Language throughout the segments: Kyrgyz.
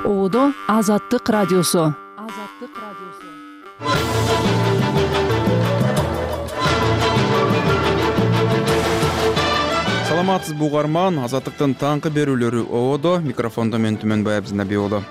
Оодо Азаттык радиосу. Саламатсызбы угарман, Азаттыктын таңкы берүүлөрү Оодо, микрофондо мен Түмөнбай Абзинабек уулу.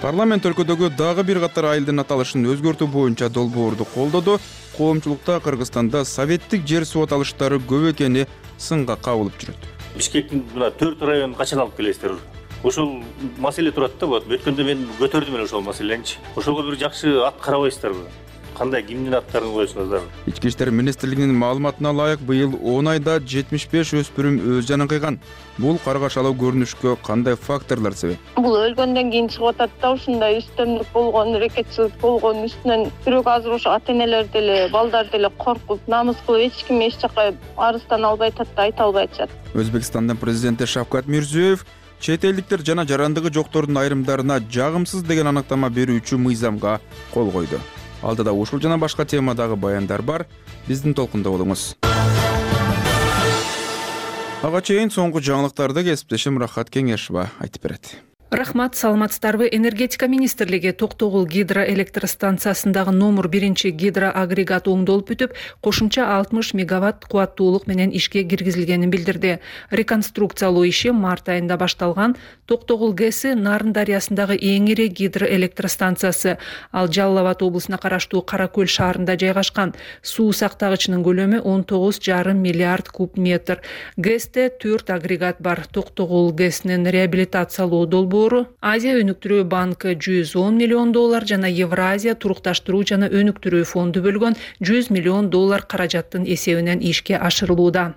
Парламент өлкөдөгү дагы бир катар айылдын аталышын өзгөртүү боюнча долбоорду колдоду. Коомчулукта Кыргызстанда советтик жер суу аталыштары көп экени сынга кабылып жүрөт. Бишкектин мына 4 районун качан алып келесиздер? Ошол маселе турат да, өткөндө мен көтөрдүм эле ошол маселени. Ошого бир жакшы ат карабайсыздарбы? Кандай кимдин аттарын коесуңуздар? Ички иштер министрлигинин маалыматына ылайык, быйыл 10 айда 75 өспүрүм өз жанын кыйган. Бул каргашалуу көрүнүшкө кандай факторлор себеп? Бул өлгөндөн кийин чыгып атат да, ушундай үстөмдүк болгон, рекетчилик болгон үстүнөн бирок азыр ошо ата-энелер деле, балдар деле коркуп, намыс кылып эч ким эч жака арыздан албай атат да, айта албай атышат. Өзбекстандын президенти Шавкат Мирзиёев чет элдиктер жана жарандыгы жоктордун айрымдарына жагымсыз деген аныктама берүүчү мыйзамга кол койду. Алдыда ушул жана башка темадагы баяндар бар. Биздин толкунда болуңуз. Ага чейин соңку жаңылыктарды кесиптешим Рахат Кеңешова айтып берет. Рахмат, саламатсыздарбы. Энергетика министрлиги Токтогул гидроэлектростанциясындагы номер 1 гидроагрегат оңдолуп бүтүп, кошумча 60 мегаватт кубаттуулук менен ишке киргизилгенин билдирди. Реконструкциялоо иши март айында башталган. Токтогул ГЭСи Нарын дарыясындагы эң ири гидроэлектростанциясы. Ал Жалал Абад облусуна караштуу Кара Көл шаарында жайгашкан. Суу сактагычынын көлөмү 19,5 миллиард куб метр. ГЭСте 4 агрегат бар. Токтогул ГЭСинин реабилитациялоо долбоору Азия өнүктүрүү банкы $110 миллион жана Евразия турукташтыруу жана өнүктүрүү фонду бөлгөн $100 миллион каражаттын эсебинен ишке ашырылууда.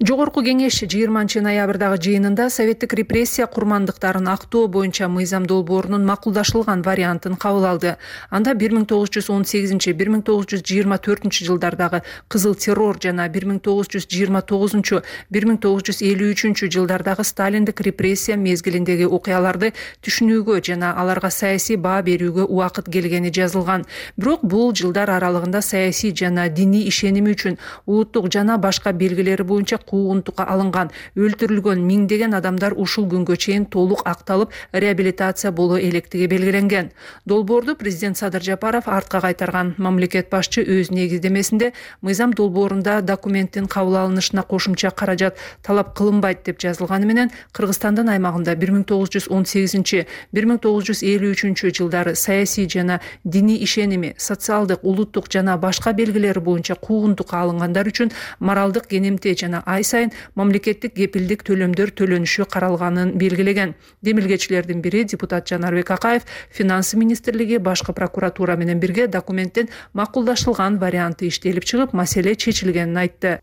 Жогорку кеңеш 20 ноябрдагы жыйынында советтик репрессия курмандыктарын актоо боюнча мыйзам долбоорунун макулдашылган вариантын кабыл алды. Анда 1918-1924 жылдардагы кызыл террор жана 1929-1953 жылдардагы сталиндик репрессия мезгилиндеги окуяларды түшүнүүгө жана аларга саясий баа берүүгө убакыт келгени жазылган. Бирок бул жылдар аралыгында саясий жана диний ишеними үчүн улуттук жана башка белгилери боюнча куугунтукка алынган, өлтүрүлгөн миңдеген адамдар ушул күнгө чейин толук акталып, реабилитация боло электиги белгиленген. Долбоорду президент Садыр Жапаров артка кайтарган. Мамлекет башчы өз негиздемесинде мыйзам долбоорунда документтин кабыл алынышына кошумча каражат талап кылынбайт деп жазылганы менен Кыргызстандын аймагында 1918-1953 жылдары саясий жана диний ишеними, социалдык, улуттук жана башка белгилери боюнча куугунтукка алынгандар үчүн моралдык кенемте жана ай сайын мамлекеттик кепилдик төлөмдөр төлөнүшү каралганын белгилеген. Демилгечилердин бири депутат Жанарбек Акаев Финансы министрлиги башкы прокуратура менен бирге документтин макулдашылган варианты иштелип чыгып, маселе чечилгенин айтты.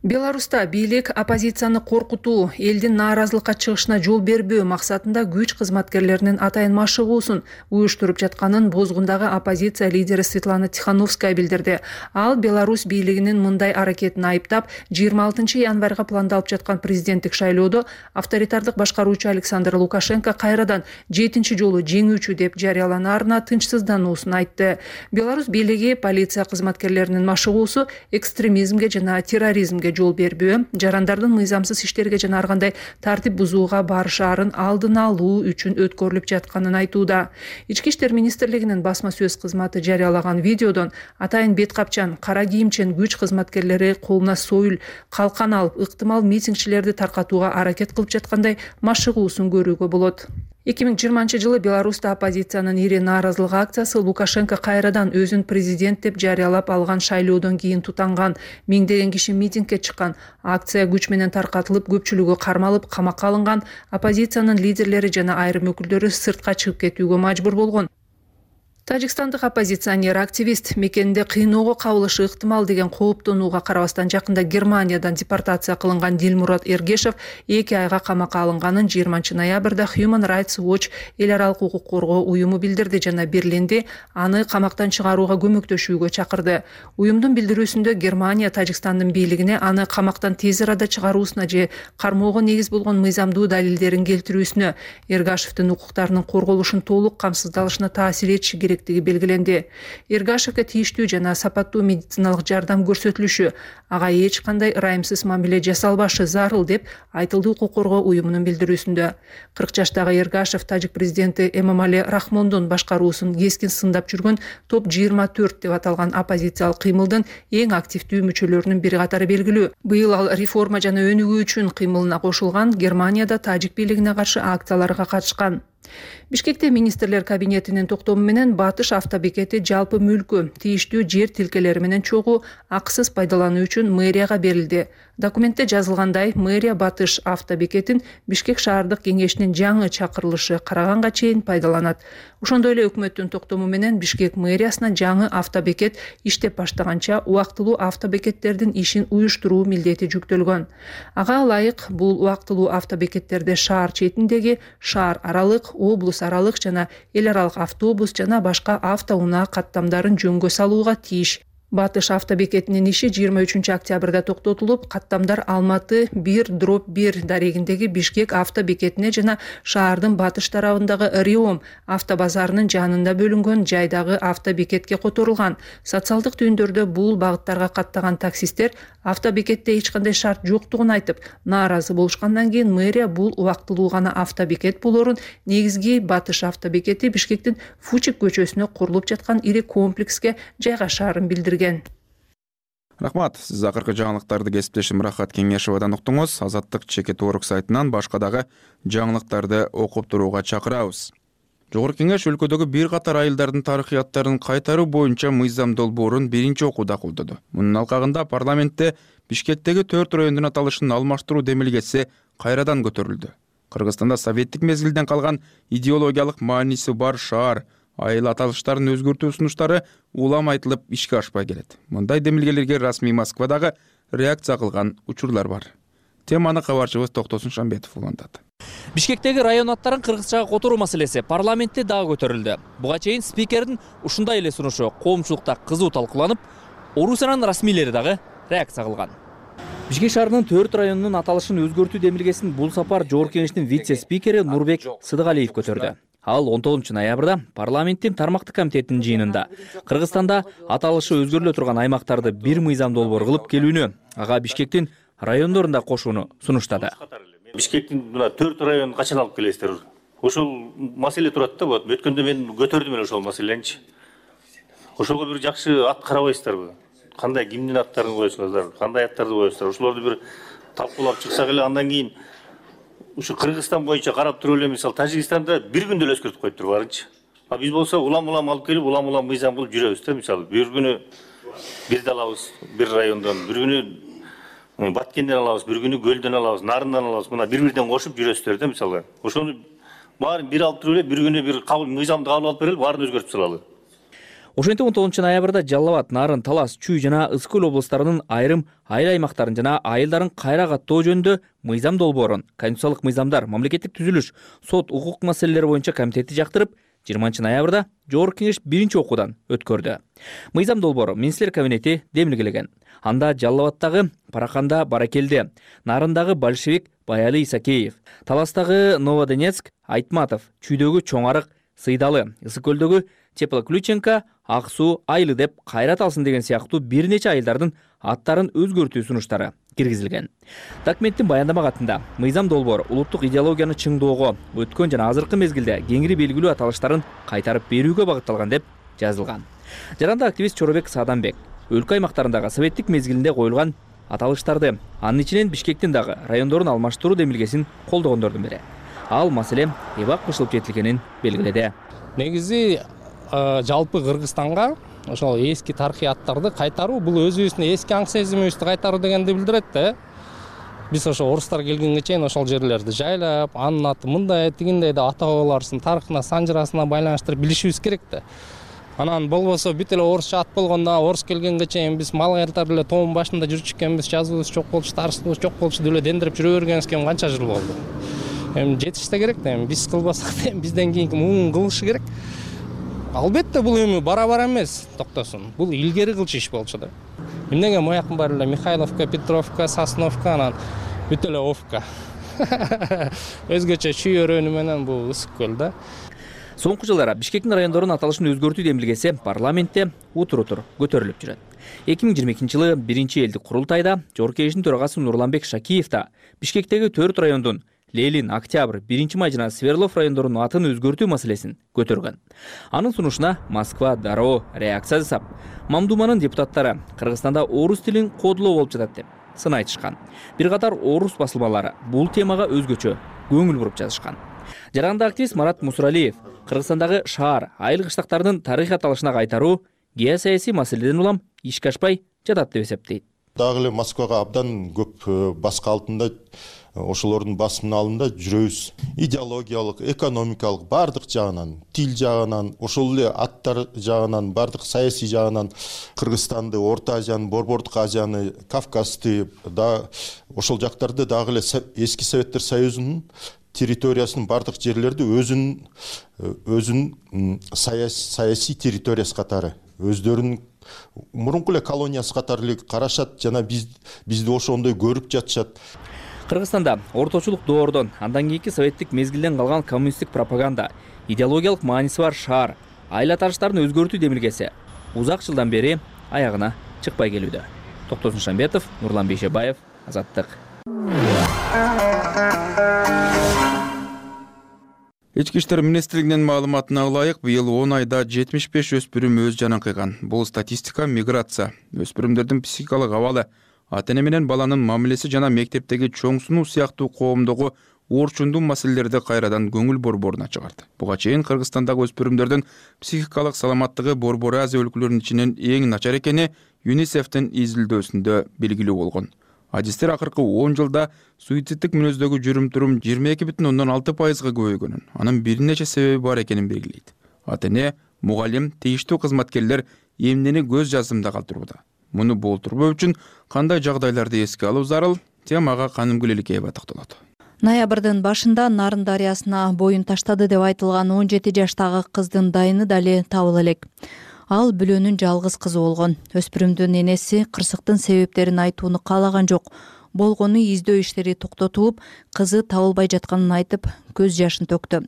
Беларуста бийлик оппозицияны коркутуу, элдин нааразылыкка чыгышына жол бербөө максатында күч кызматкерлеринин атайын машыгуусун уюштуруп жатканын Бозгундагы оппозиция лидери Светлана Тихановская билдирди. Ал Беларусь бийлигинин мындай аракетин айыптап, 26 январга пландалып жаткан президенттик шайлоодо авторитардык башкаруучу Александр Лукашенко кайрадан 7-чи жолу жеңүүчү деп жарыяланаарына тынчсыздануусун айтты. Беларусь бийлиги полиция кызматкерлеринин машыгуусу экстремизмге жана терроризмге жол бербөө, жарандардын мыйзамсыз иштерге жана ар кандай тартип бузууга барышаарын алдын алуу үчүн өткөрүлүп жатканын айтууда. Ички иштер министрлигинин басма сөз кызматы жарыялаган видеодон атайын бет капчан, кара кийимчен күч кызматкерлери колуна союл, калкан алып, ыктымал митингчилерди таркатууга аракет кылып жаткандай машыгуусун көрүүгө болот. 2020 жылы Беларуста оппозициянын ири нааразылык акциясы Лукашенко кайрадан өзүн президент деп жарыялап алган шайлоодон кийин тутанган. Миңдеген киши митингге чыккан. Акция күч менен таркатылып, көпчүлүгү кармалып, камакка алынган. Оппозициянын лидерлери жана айрым өкүлдөрү сыртка чыгып кетүүгө мажбур болгон. Тажикстандык оппозиционер активист мекенинде кыйноого кабылышы ыктымал деген кооптонууга карабастан жакында Германиядан депортация кылынган Дилмурат Эргешев 2 айга камакка алынганын 20 ноябрда Human Rights Watch эл аралык укук коргоо уюму билдирди жана Берлинди аны камактан чыгарууга көмөктөшүүгө чакырды. Уюмдун билдирүүсүндө Германия Тажикстандын бийлигине аны камактан тез арада чыгаруусуна же кармоого негиз болгон мыйзамдуу далилдерин келтирүүсүнө, Эргашевдин укуктарынын корголушун толук камсыздалышына таасир этиши керек керектиги белгиленди. Эргашевке тийиштүү жана сапаттуу медициналык жардам көрсөтүлүшү, ага эч кандай ырайымсыз мамиле жасалбашы зарыл деп айтылды укук коргоо уюмунун билдирүүсүндө. 40 жаштагы Эргашев тажик президенти Эмомали Рахмондун башкаруусун кескин сындап жүргөн топ 24 деп аталган оппозициялык кыймылдын эң активдүү мүчөлөрүнүн бири катары белгилүү. Быйыл ал реформа жана өнүгүү үчүн кыймылына кошулган, Германияда тажик бийлигине каршы акцияларга катышкан. Бишкекте министрлер кабинетинин токтому менен Батыш автобекети жалпы мүлкү, тийиштүү жер тилкелери менен чогуу акысыз пайдалануу үчүн мэрияга берилди. Документте жазылгандай, мэрия Батыш автобекетин Бишкек шаардык кеңешинин жаңы чакырылышы караганга чейин пайдаланат. Ошондой эле өкмөттүн токтому менен Бишкек мэриясына жаңы автобекет иштеп баштаганча убактылуу автобекеттердин ишин уюштуруу милдети жүктөлгөн. Ага ылайык бул убактылуу автобекеттерде шаар четиндеги, шаар аралык, облус аралык жана эл аралык автобус жана башка автоунаа каттамдарын жөнгө салууга тийиш. Батыш автобекетинин иши 23 октябрда токтотулуп, каттамдар Алматы 1/1 дарегиндеги Бишкек автобекетине жана шаардын батыш тарабындагы Риом автобазарынын жанында бөлүнгөн жайдагы автобекетке которулган. Социалдык түйүндөрдө бул багыттарга каттаган таксисттер автобекетте эч кандай шарт жоктугун айтып, нааразы болушкандан кийин мэрия бул убактылуу гана автобекет болорун негизги Батыш автобекети Бишкектин Фучик көчөсүнө курулуп жаткан ири комплекске жайгашаарын билдирген. Рахмат, сиз акыркы жаңылыктарды кесиптешим Рахат Кеңешевадан уктуңуз. Азаттык чекит орг сайтынан башка дагы жаңылыктарды окуп турууга чакырабыз. Жогорку Кеңеш өлкөдөгү бир катар айылдардын тарыхыяттарын кайтаруу боюнча мыйзам долбоорун биринчи окууда колдоду. Мунун алкагында парламентте Бишкектеги 4 райондун аталышын алмаштыруу демилгеси кайрадан көтөрүлдү. Кыргызстанда советтик мезгилден калган идеологиялык мааниси бар шаар, айыл аталыштарын өзгөртүү сунуштары улам айтылып ишке ашпай келет. Мындай демилгелерге расмий Москвадагы реакция кылган учурлар бар. Теманы кабарчыбыз Токтосун Шамбетов улантат. Бишкектеги район аттарын кыргызчага которуу маселеси парламентте дагы көтөрүлдү. Буга чейин спикердин ушундай эле сунушу коомчулукта кызуу талкууланып, Орусиянын расмийлери дагы реакция кылган. Бишкек шаарынын 4 районунун аталышын өзгөртүү демилгесин бул сапар Жогорку Кеңештин вице-спикери Нурбек Сыдыгалиев көтөрдү. Ал 19 ноябрда парламенттин тармактык комитетинин жыйынында Кыргызстанда аталышы өзгөрүлө турган аймактарды бир мыйзам долбоор кылып келүүнү, ага Бишкектин райондорун да кошууну сунуштады. Бишкектин мына 4 районун качан алып келесиздер? Ошол маселе турат да, өткөндө мен көрдүм эле ошол маселени. Ошого бир жакшы ат карабайсыздарбы? Кандай кимдин аттарын коесуңуздар, кандай аттарды коесуңуздар? Ошолорду бир талкуулап чыксак эле, андан кийин ушу Кыргызстан боюнча карап туруп эле, мисалы Тажикстанда бир күндө эле өзгөртүп коюптур барынчы. А биз болсо улам-улам алып келип, улам-улам мыйзам кылып жүрөбүз да, мисалы бир күнү бирди алабыз, бир райондон, бир күнү Баткенден алабыз, бир күнү Көлдөн алабыз, Нарындан алабыз, мына бир-бирден кошуп жүрөсүздөр да, мисалы. Ошону баарын бир алып туруп эле, бир күнү бир кабыл мыйзамды кабыл алып берели, баарын өзгөртүп салалы. Ошентип 19 ноябрда Жалал Абад, Нарын, Талас, Чүй жана Ысык Көл облустарынын айрым айыл аймактарын жана айылдарын кайра каттоо жөнүндө мыйзам долбоорун Конституциялык мыйзамдар, мамлекеттик түзүлүш, сот, укук маселелери боюнча комитети жактырып, 20 ноябрда Жогорку Кеңеш биринчи окуудан өткөрдү. Мыйзам долбоору министрлер кабинети демилгелеген. Анда Жалал Абадтагы Параканда Баракелде, Нарындагы Большевик Баяли Исакеев, Таластагы Новодонецк Айтматов, Чүйдөгү Чоңарык Сыйдалы, Ысык Көлдөгү Теплоключенко, Аксуу Айлы деп кайрат алсын деген сыяктуу бир нече айылдардын аттарын өзгөртүү сунуштары киргизилген. Документтин баяндама катында мыйзам долбоор улуттук идеологияны чыңдоого, өткөн жана азыркы мезгилде кеңири белгилүү аталыштарын кайтарып берүүгө багытталган деп жазылган. Жаранда активист Чоробек Сааданбек өлкө аймактарындагы советтик мезгилинде коюлган аталыштарды, анын ичинен Бишкектин дагы райондорун алмаштыруу демилгесин колдогондордун бири. Ал маселе эбак кышылып жетилгенин белгиледи. Негизи жалпы Кыргызстанга ошол эски тарыхый аттарды кайтаруу, бул өзүбүздүн эски аң сезимибизди кайтаруу дегенди билдирет да. Биз ошо орустар келгенге чейин ошол жерлерди жайлап, анын аты мындай, тигиндей деп ата бабаларыбыздын тарыхына, санжырасына байланыштырып билишибиз керек да. Анан болбосо бүт эле орусча ат болгондо, орус келгенге чейин биз мал кайтарып эле тоонун башында жүрчү экенбиз, жазуубуз жок болчу, тарыхыбыз жок болчу деп эле дендирип жүрө бергенибизге канча жыл болду. Эми жетиш да керек да, биз кылбасак да бизден кийинки муун кылышы керек. Албетте бул эми бара-бара эмес, токтосун. Бул илгери кылчу иш болчу да. Эмнеге моякын баары эле Михайловка, Петровка, Сосновка, анан бүт эле Овка. Өзгөчө Чүй өрөөнү менен бул Ысык Көл да. Соңку жылдары Бишкектин райондорунун аталышын өзгөртүү демилгеси парламентте утур көтөрүлүп жүрөт. 2022 жылы 1-элдик курултайда Жогорку Кеңештин төрагасы Нурланбек Шакиев да Бишкектеги 4 райондун Лелин, Октябрь, 1-Май жана Свердлов райондорунун атын өзгөртүү маселесин көтөргөн. Анын сунушуна Москва дароо реакция жасап, Мамдуманын депутаттары Кыргызстанда орус тилин кодулоо болуп жатат деп сын айтышкан. Бир катар орус басылмалары бул темага өзгөчө көңүл буруп жазышкан. Жаранда активист Марат Мусуралиев Кыргызстандагы шаар, айыл кыштактардын тарыхый аталышына кайтаруу геосаясий маселеден улам ишке ашпай жатат деп эсептейт. Дагы эле Москвага абдан көп баска алтында ошолордун басымын алында жүрөбүз. Идеологиялык, экономикалык бардык жагынан, тил жагынан, ошол эле аттар жагынан, бардык саясий жагынан Кыргызстанды, Орто Азияны, Борбордук Азияны, Кавказды да ошол жактарды дагы эле эски Советтер Союзунун территориясынын бардык жерлерди өзүнүн саясий территориясы катары, өздөрүнүн мурунку эле колониясы катары эле карашат жана бизди ошондой көрүп жатышат. Кыргызстанда орточулук доордон, андан кийинки советтик мезгилден калган коммунисттик пропаганда, идеологиялык мааниси бар шаар, айыл аталыштарын өзгөртүү демилгеси узак жылдан бери аягына чыкпай келүүдө. Токтосун Шамбетов, Нурлан Бейшебаев, Азаттык. Ички иштер министрлигинин маалыматына ылайык, быйыл 10 айда 75 өспүрүм өз жанын кыйган. Бул статистика миграция, өспүрүмдөрдүн психикалык абалы, ата-эне менен баланын мамилеси жана мектептеги чоң сунуу сыяктуу коомдогу орчундуу маселелерди кайрадан көңүл борборуна чыгарды. Буга чейин Кыргызстандагы өспүрүмдөрдүн психикалык саламаттыгы Борбор Азия өлкөлөрүнүн ичинен эң начар экени ЮНИСЕФтин изилдөөсүндө белгилүү болгон. Адистер акыркы 10 жылда суицидтик мүнөздөгү жүрүм-турум 22,6%га көбөйгөнүн, анын бир нече себеби бар экенин белгилейт. Ата-эне, мугалим, тийиштүү кызматкерлер эмнени көз жазымда калтырууда. Муну болтурбоо үчүн кандай жагдайларды эске алуу зарыл? Темага Канымгүл Эликеева токтолот. Ноябрдын башында Нарын дарыясына боюн таштады деп айтылган 17 жаштагы кыздын дайыны дали табыла элек. Ал бүлөнүн жалгыз кызы болгон. Өспүрүмдүн энеси кырсыктын себептерин айтууну каалаган жок. Болгону издөө иштери токтотулуп, кызы табылбай жатканын айтып, көз жашын төктү.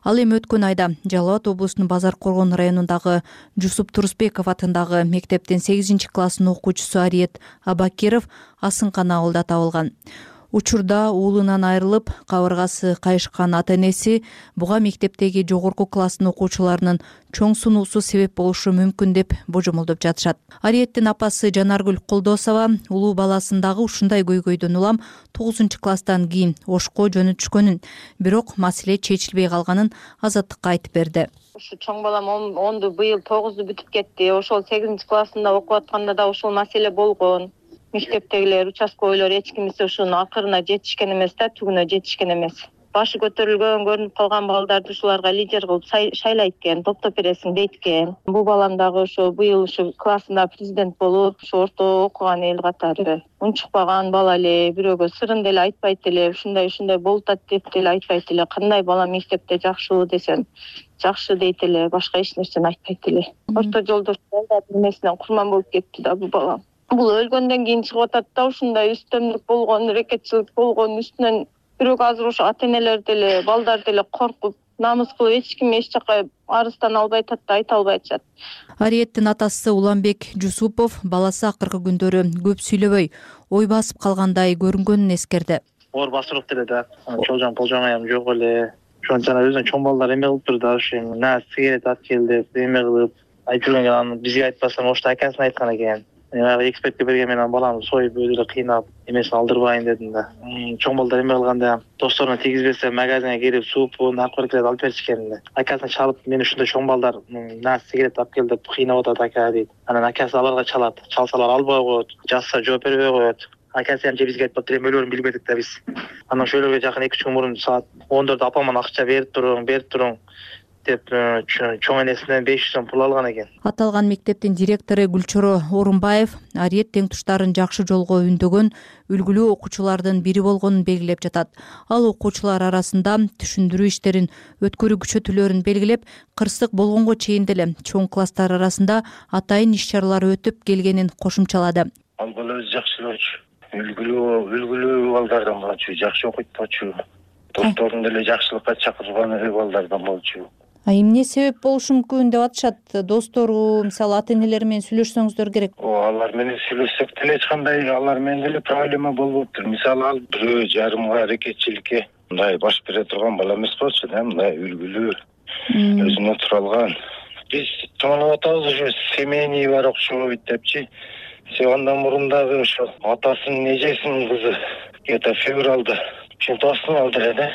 Ал эми өткөн айда Жалал Абад облусунун Базар Коргон районундагы Жусуп Турусбеков атындагы мектептин 8-класснын окуучусу Ариет Абакиров Асынкан ауылда табылган. Учурда уулунан айрылып, кабыргасы кайышкан ата-энеси буга мектептеги жогорку класстын окуучуларынын чоң сунуусу себеп болушу мүмкүн деп божомолдоп жатышат. Ариеттин апасы Жанаргүл Колдосова улуу баласын дагы ушундай көйгөйдөн улам 9-класстан кийин Ошко жөнөтүшкөнүн, бирок маселе чечилбей калганын Азаттыкка айтып берди. Ушу чоң балам 10-ду быйыл 9-ду бүтүп кетти. Ошол 8-классында окуп атканда да ошол маселе болгон. Мектептегилер, участковыйлар эч кимиси ушунун акырына жетишкен эмес да, түгүнө жетишкен эмес. Башы көтөрүлгөн, көрүнүп калган балдарды ушуларга лидер кылып шайлайт экен, топтоп бересиң дейт экен. Бул балам дагы ошо быйыл ушу классында президент болуп, ушу орто окуган эл катары. Унчукпаган бала эле, бирөөгө сырын деле айтпайт эле, ушундай болуп атат деп деле айтпайт эле. Кандай бала мектепте жакшы десем, жакшы дейт эле, башка эч нерсени айтпайт эле. Орто жолдош балдардын эмесинен курман болуп кетти да бул балам. Бул өлгөндөн кийин чыгып атат да, ушундай үстөмдүк болгон, рекетчилик болгон, үстүнөн бирок азыр ошо ата-энелер деле, балдар деле коркуп, намыс кылып эч ким эч жака арыздан албай атат да, айта албай атышат. Ариеттин атасы Уланбек Жусупов баласы акыркы күндөрү көп сүйлөбөй, ой басып калгандай көрүнгөнүн эскерди. Оор басырып деле да, чолжоң полжоңаям жок эле. Ошон жана өзүнүн чоң балдар эме кылып турду да, ошо на сигарет алып кел деп эме кылып айтып жүргөн, анан бизге айтпастан ошто акасына айткан экен. Экспертке берген менен баламды союп өзү кыйнап эмесин алдырбайын дедим да. Чоң балдар эме кылганда досторуна тийгизбесе магазинге кирип суупун, наркотиктерди алып беришкен да. Акасына чалып, мен ушундай чоң балдар на сигарет алып кел деп кыйнап атат ака дейт. Анан акасы аларга чалат. Чалсалар албай коет, жазса жооп бербей коет. Акасы бизге айтпаптыр, эми өлөрүн билбедик да биз. Анан ошолорго жакын 2-3 күн мурун саат 14 апаман акча берип туруң деп чоң энесинен 500 сом пул алган экен. Аталган мектептин директору Гүлчоро Орунбаев Ариет теңтуштарын жакшы жолго үндөгөн үлгүлүү окуучулардын бири болгонун белгилеп жатат. Ал окуучулар арасында түшүндүрүү иштерин өткөрүү күчөтүүлөрүн белгилеп, кырсык болгонго чейин деле чоң класстар арасында атайын иш-чаралар өтүп келгенин кошумчалады. Ал бала өзү жакшы болчу, үлгүлүү балдардан болчу, жакшы окуйт болчу, досторун деле жакшылыкка чакырган балдардан болчу. Эмне себеп болушу мүмкүн деп атышат? Достору, мисалы ата энелери менен сүйлөшсөңүздөр керек. Алар менен сүйлөшсөк деле эч кандай алар менен деле проблема болбоптур. Мисалы ал бирөө жарымга аракетчиликке мындай баш бере турган бала эмес болчу да, мындай үлгүлүү, өзүнө туралган. Биз тоонап атабыз ушу семейный бар окшобойт депчи. Андан мурун дагы ошо атасынын эжесинин кызы где-то февралда чемпионатын алды эле да.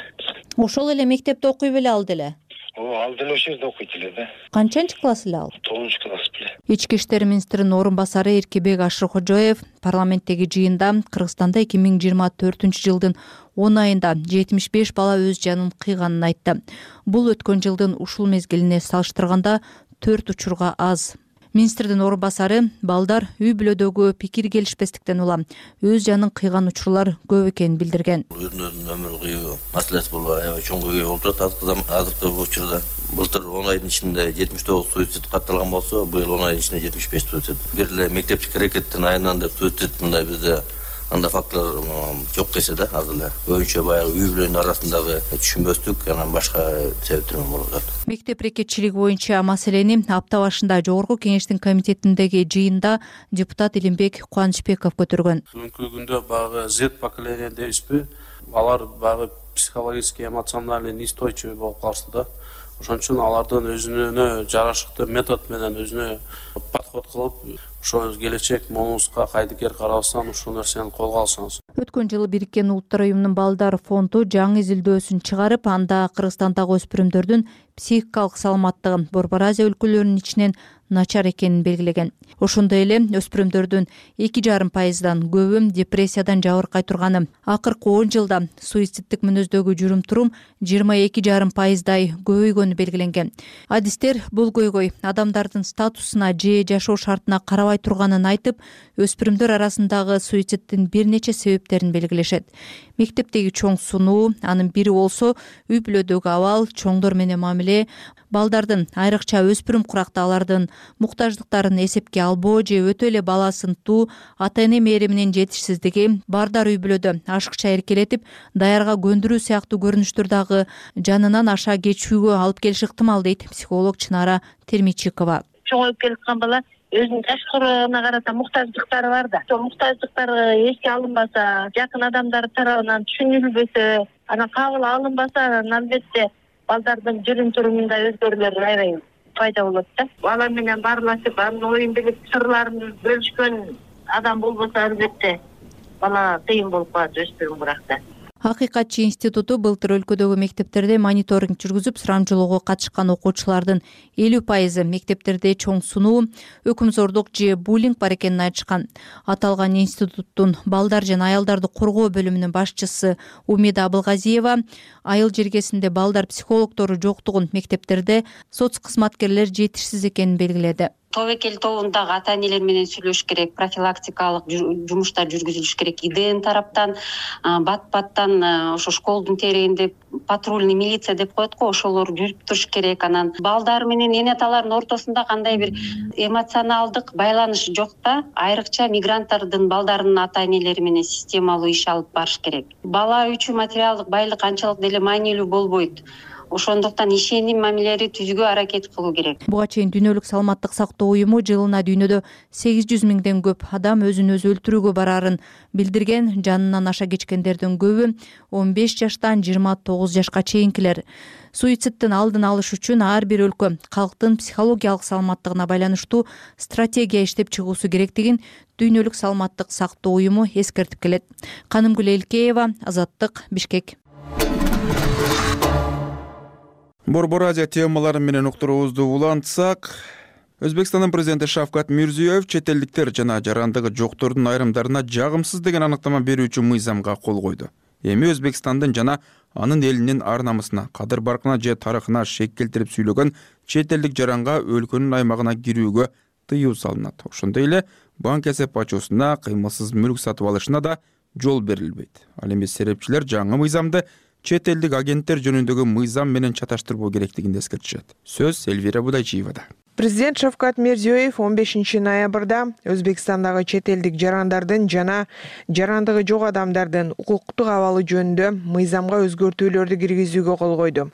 Ошол эле мектепте окуй беле ал деле? Ал деле ошол жерде окуйт эле да. Канчанчы класс эле ал? 9-класс беле. Ички иштер министринин орун басары Эркебек Ашыркожоев парламенттеги жыйында Кыргызстанда 2024-жылдын 10 айында 75 бала өз жанын кыйганын айтты. Бул өткөн жылдын ушул мезгилине салыштырганда 4 учурга аз. Министрдин орун басары балдар үй бүлөдөгү пикир келишпестиктен улам өз жанын кыйган учурлар көп экенин билдирген. Өзүнүн өмүр кыйуу маселеси болуп аябай чоң көйгөй болуп турат азыркы учурда. Былтыр 10 айдын ичинде 79 суицид катталган болсо, быйыл 10 айдын ичинде 75 суицид. Бир эле мектепчик аракеттин айынан деп суицид мындай бизде анда факторлор жок десе да, азыр эле көбүнчө баягы үй бүлөнүн арасындагы түшүнбөстүк, анан башка себептер болуп атат. Мектеп рекетчилиги боюнча маселени апта башында Жогорку кеңештин комитетиндеги жыйында депутат Илимбек Кубанычбеков көтөргөн. Бүгүнкү күндө багы Z поколение дейбизби? Алар багы психологически, эмоционально неустойчивый болуп калышты да. Ошон үчүн алардын өзүнө жарашыктуу метод менен өзүнө подход кылып, ошо келечек момузга кайдыкер карабастан ушул нерсени колго алсаңыз. Өткөн жылы Бириккен Улуттар уюмунун балдар фонду жаңы изилдөөсүн чыгарып, анда Кыргызстандагы өспүрүмдөрдүн психикалык саламаттыгын Борбор Азия өлкөлөрүнүн ичинен начар экенин белгилеген. Ошондой эле өспүрүмдөрдүн 2,5%дан көбү депрессиядан жабыркай турганы, акыркы 10 жылда суициддик мүнөздөгү жүрүм-турум 22,5%дай көбөйгөнү белгиленген. Адистер бул көйгөй адамдардын статусуна же жашоо шартына карабай турганын айтып, өспүрүмдөр арасындагы суициддин бир нече себептерин белгилешет. Мектептеги чоң сунуу, анын бири болсо үй бүлөдөгү абал, чоңдор менен мамиле, балдардын айрыкча өспүрүм куракта алардын муктаждыктарын эсепке албоо же өтө эле бала сынтуу, ата-эне мээриминин жетишсиздиги, бардар үй бүлөдө ашыкча эркелетип, даярга көндүрүү сыяктуу көрүнүштөр дагы жанынан аша кечүүгө алып келиши ыктымал, дейт психолог Чынара Термичикова. Чоңоюп келаткан бала өзүнүн ташкырына карата муктаждыктары бар да. Ошол муктаждыктар эске алынбаса, жакын адамдар тарабынан түшүнүлбөсө, анан кабыл алынбаса, анан албетте балдардын жүрүм-турумунда өзгөрүүлөр аябай пайда болот да. Бала менен баарлашып, анын оюн билип, сырларын бөлүшкөн адам болбосо, албетте бала кыйын болуп калат өспүрүм куракта. Акыйкатчы институту былтыр өлкөдөгү мектептерде мониторинг жүргүзүп, сурамжылоого катышкан окуучулардын 50% мектептерде чоң сунуу, өкүмзордук же буллинг бар экенин айтышкан. Аталган институттун балдар жана аялдарды коргоо бөлүмүнүн башчысы Умида Абылгазиева айыл жергесинде балдар психологдору жоктугун, мектептерде соц кызматкерлер жетишсиз экенин белгиледи. Тобокел тобундагы ата-энелер менен сүйлөшүш керек, профилактикалык жумуштар жүргүзүлүш керек. ИДН тараптан, бат-баттан ошо школдун терегинде патрульный милиция деп коет го, ошолор жүрүп туруш керек. Анан балдар менен эне аталардын ортосунда кандай бир эмоционалдык байланыш жок да, айрыкча мигранттардын балдарынын ата-энелери менен системалуу иш алып барыш керек. Бала үчүн материалдык байлык анчалык деле маанилүү болбойт. Ошондуктан ишеним мамилелери түзүүгө аракет кылуу керек. Буга чейин Дүйнөлүк саламаттык сактоо уюму жылына дүйнөдө 800 миңден көп адам өзүн өзү өлтүрүүгө барарын билдирген. Жанынан аша кечкендердин көбү 15 жаштан 29 жашка чейинкилер. Суициддин алдын алыш үчүн ар бир өлкө калктын психологиялык саламаттыгына байланыштуу стратегия иштеп чыгуусу керектигин Дүйнөлүк саламаттык сактоо уюму эскертип келет. Канымгүл Элкеева, Азаттык, Бишкек. Борбор Азия темалары менен уктуруубузду улантсак, Өзбекстандын президенти Шавкат Мирзиёев чет элдиктер жана жарандыгы жоктордун айрымдарына жагымсыз деген аныктама берүүчү мыйзамга кол койду. Эми Өзбекстандын жана анын элинин ар намысына, кадыр баркына же тарыхына шек келтирип сүйлөгөн чет элдик жаранга өлкөнүн аймагына кирүүгө тыюу салынат. Ошондой эле банк эсеп ачуусуна, кыймылсыз мүлк сатып алышына да жол берилбейт. Ал эми серепчилер жаңы мыйзамды чет элдик агенттер жөнүндөгү мыйзам менен чаташтырбоо керектигин эскертишет. Сөз Элвира Будайчиевада. Президент Шавкат Мирзиёев 15 ноябрда Өзбекстандагы чет элдик жарандардын жана жарандыгы жок адамдардын укуктук абалы жөнүндө мыйзамга өзгөртүүлөрдү киргизүүгө кол койду.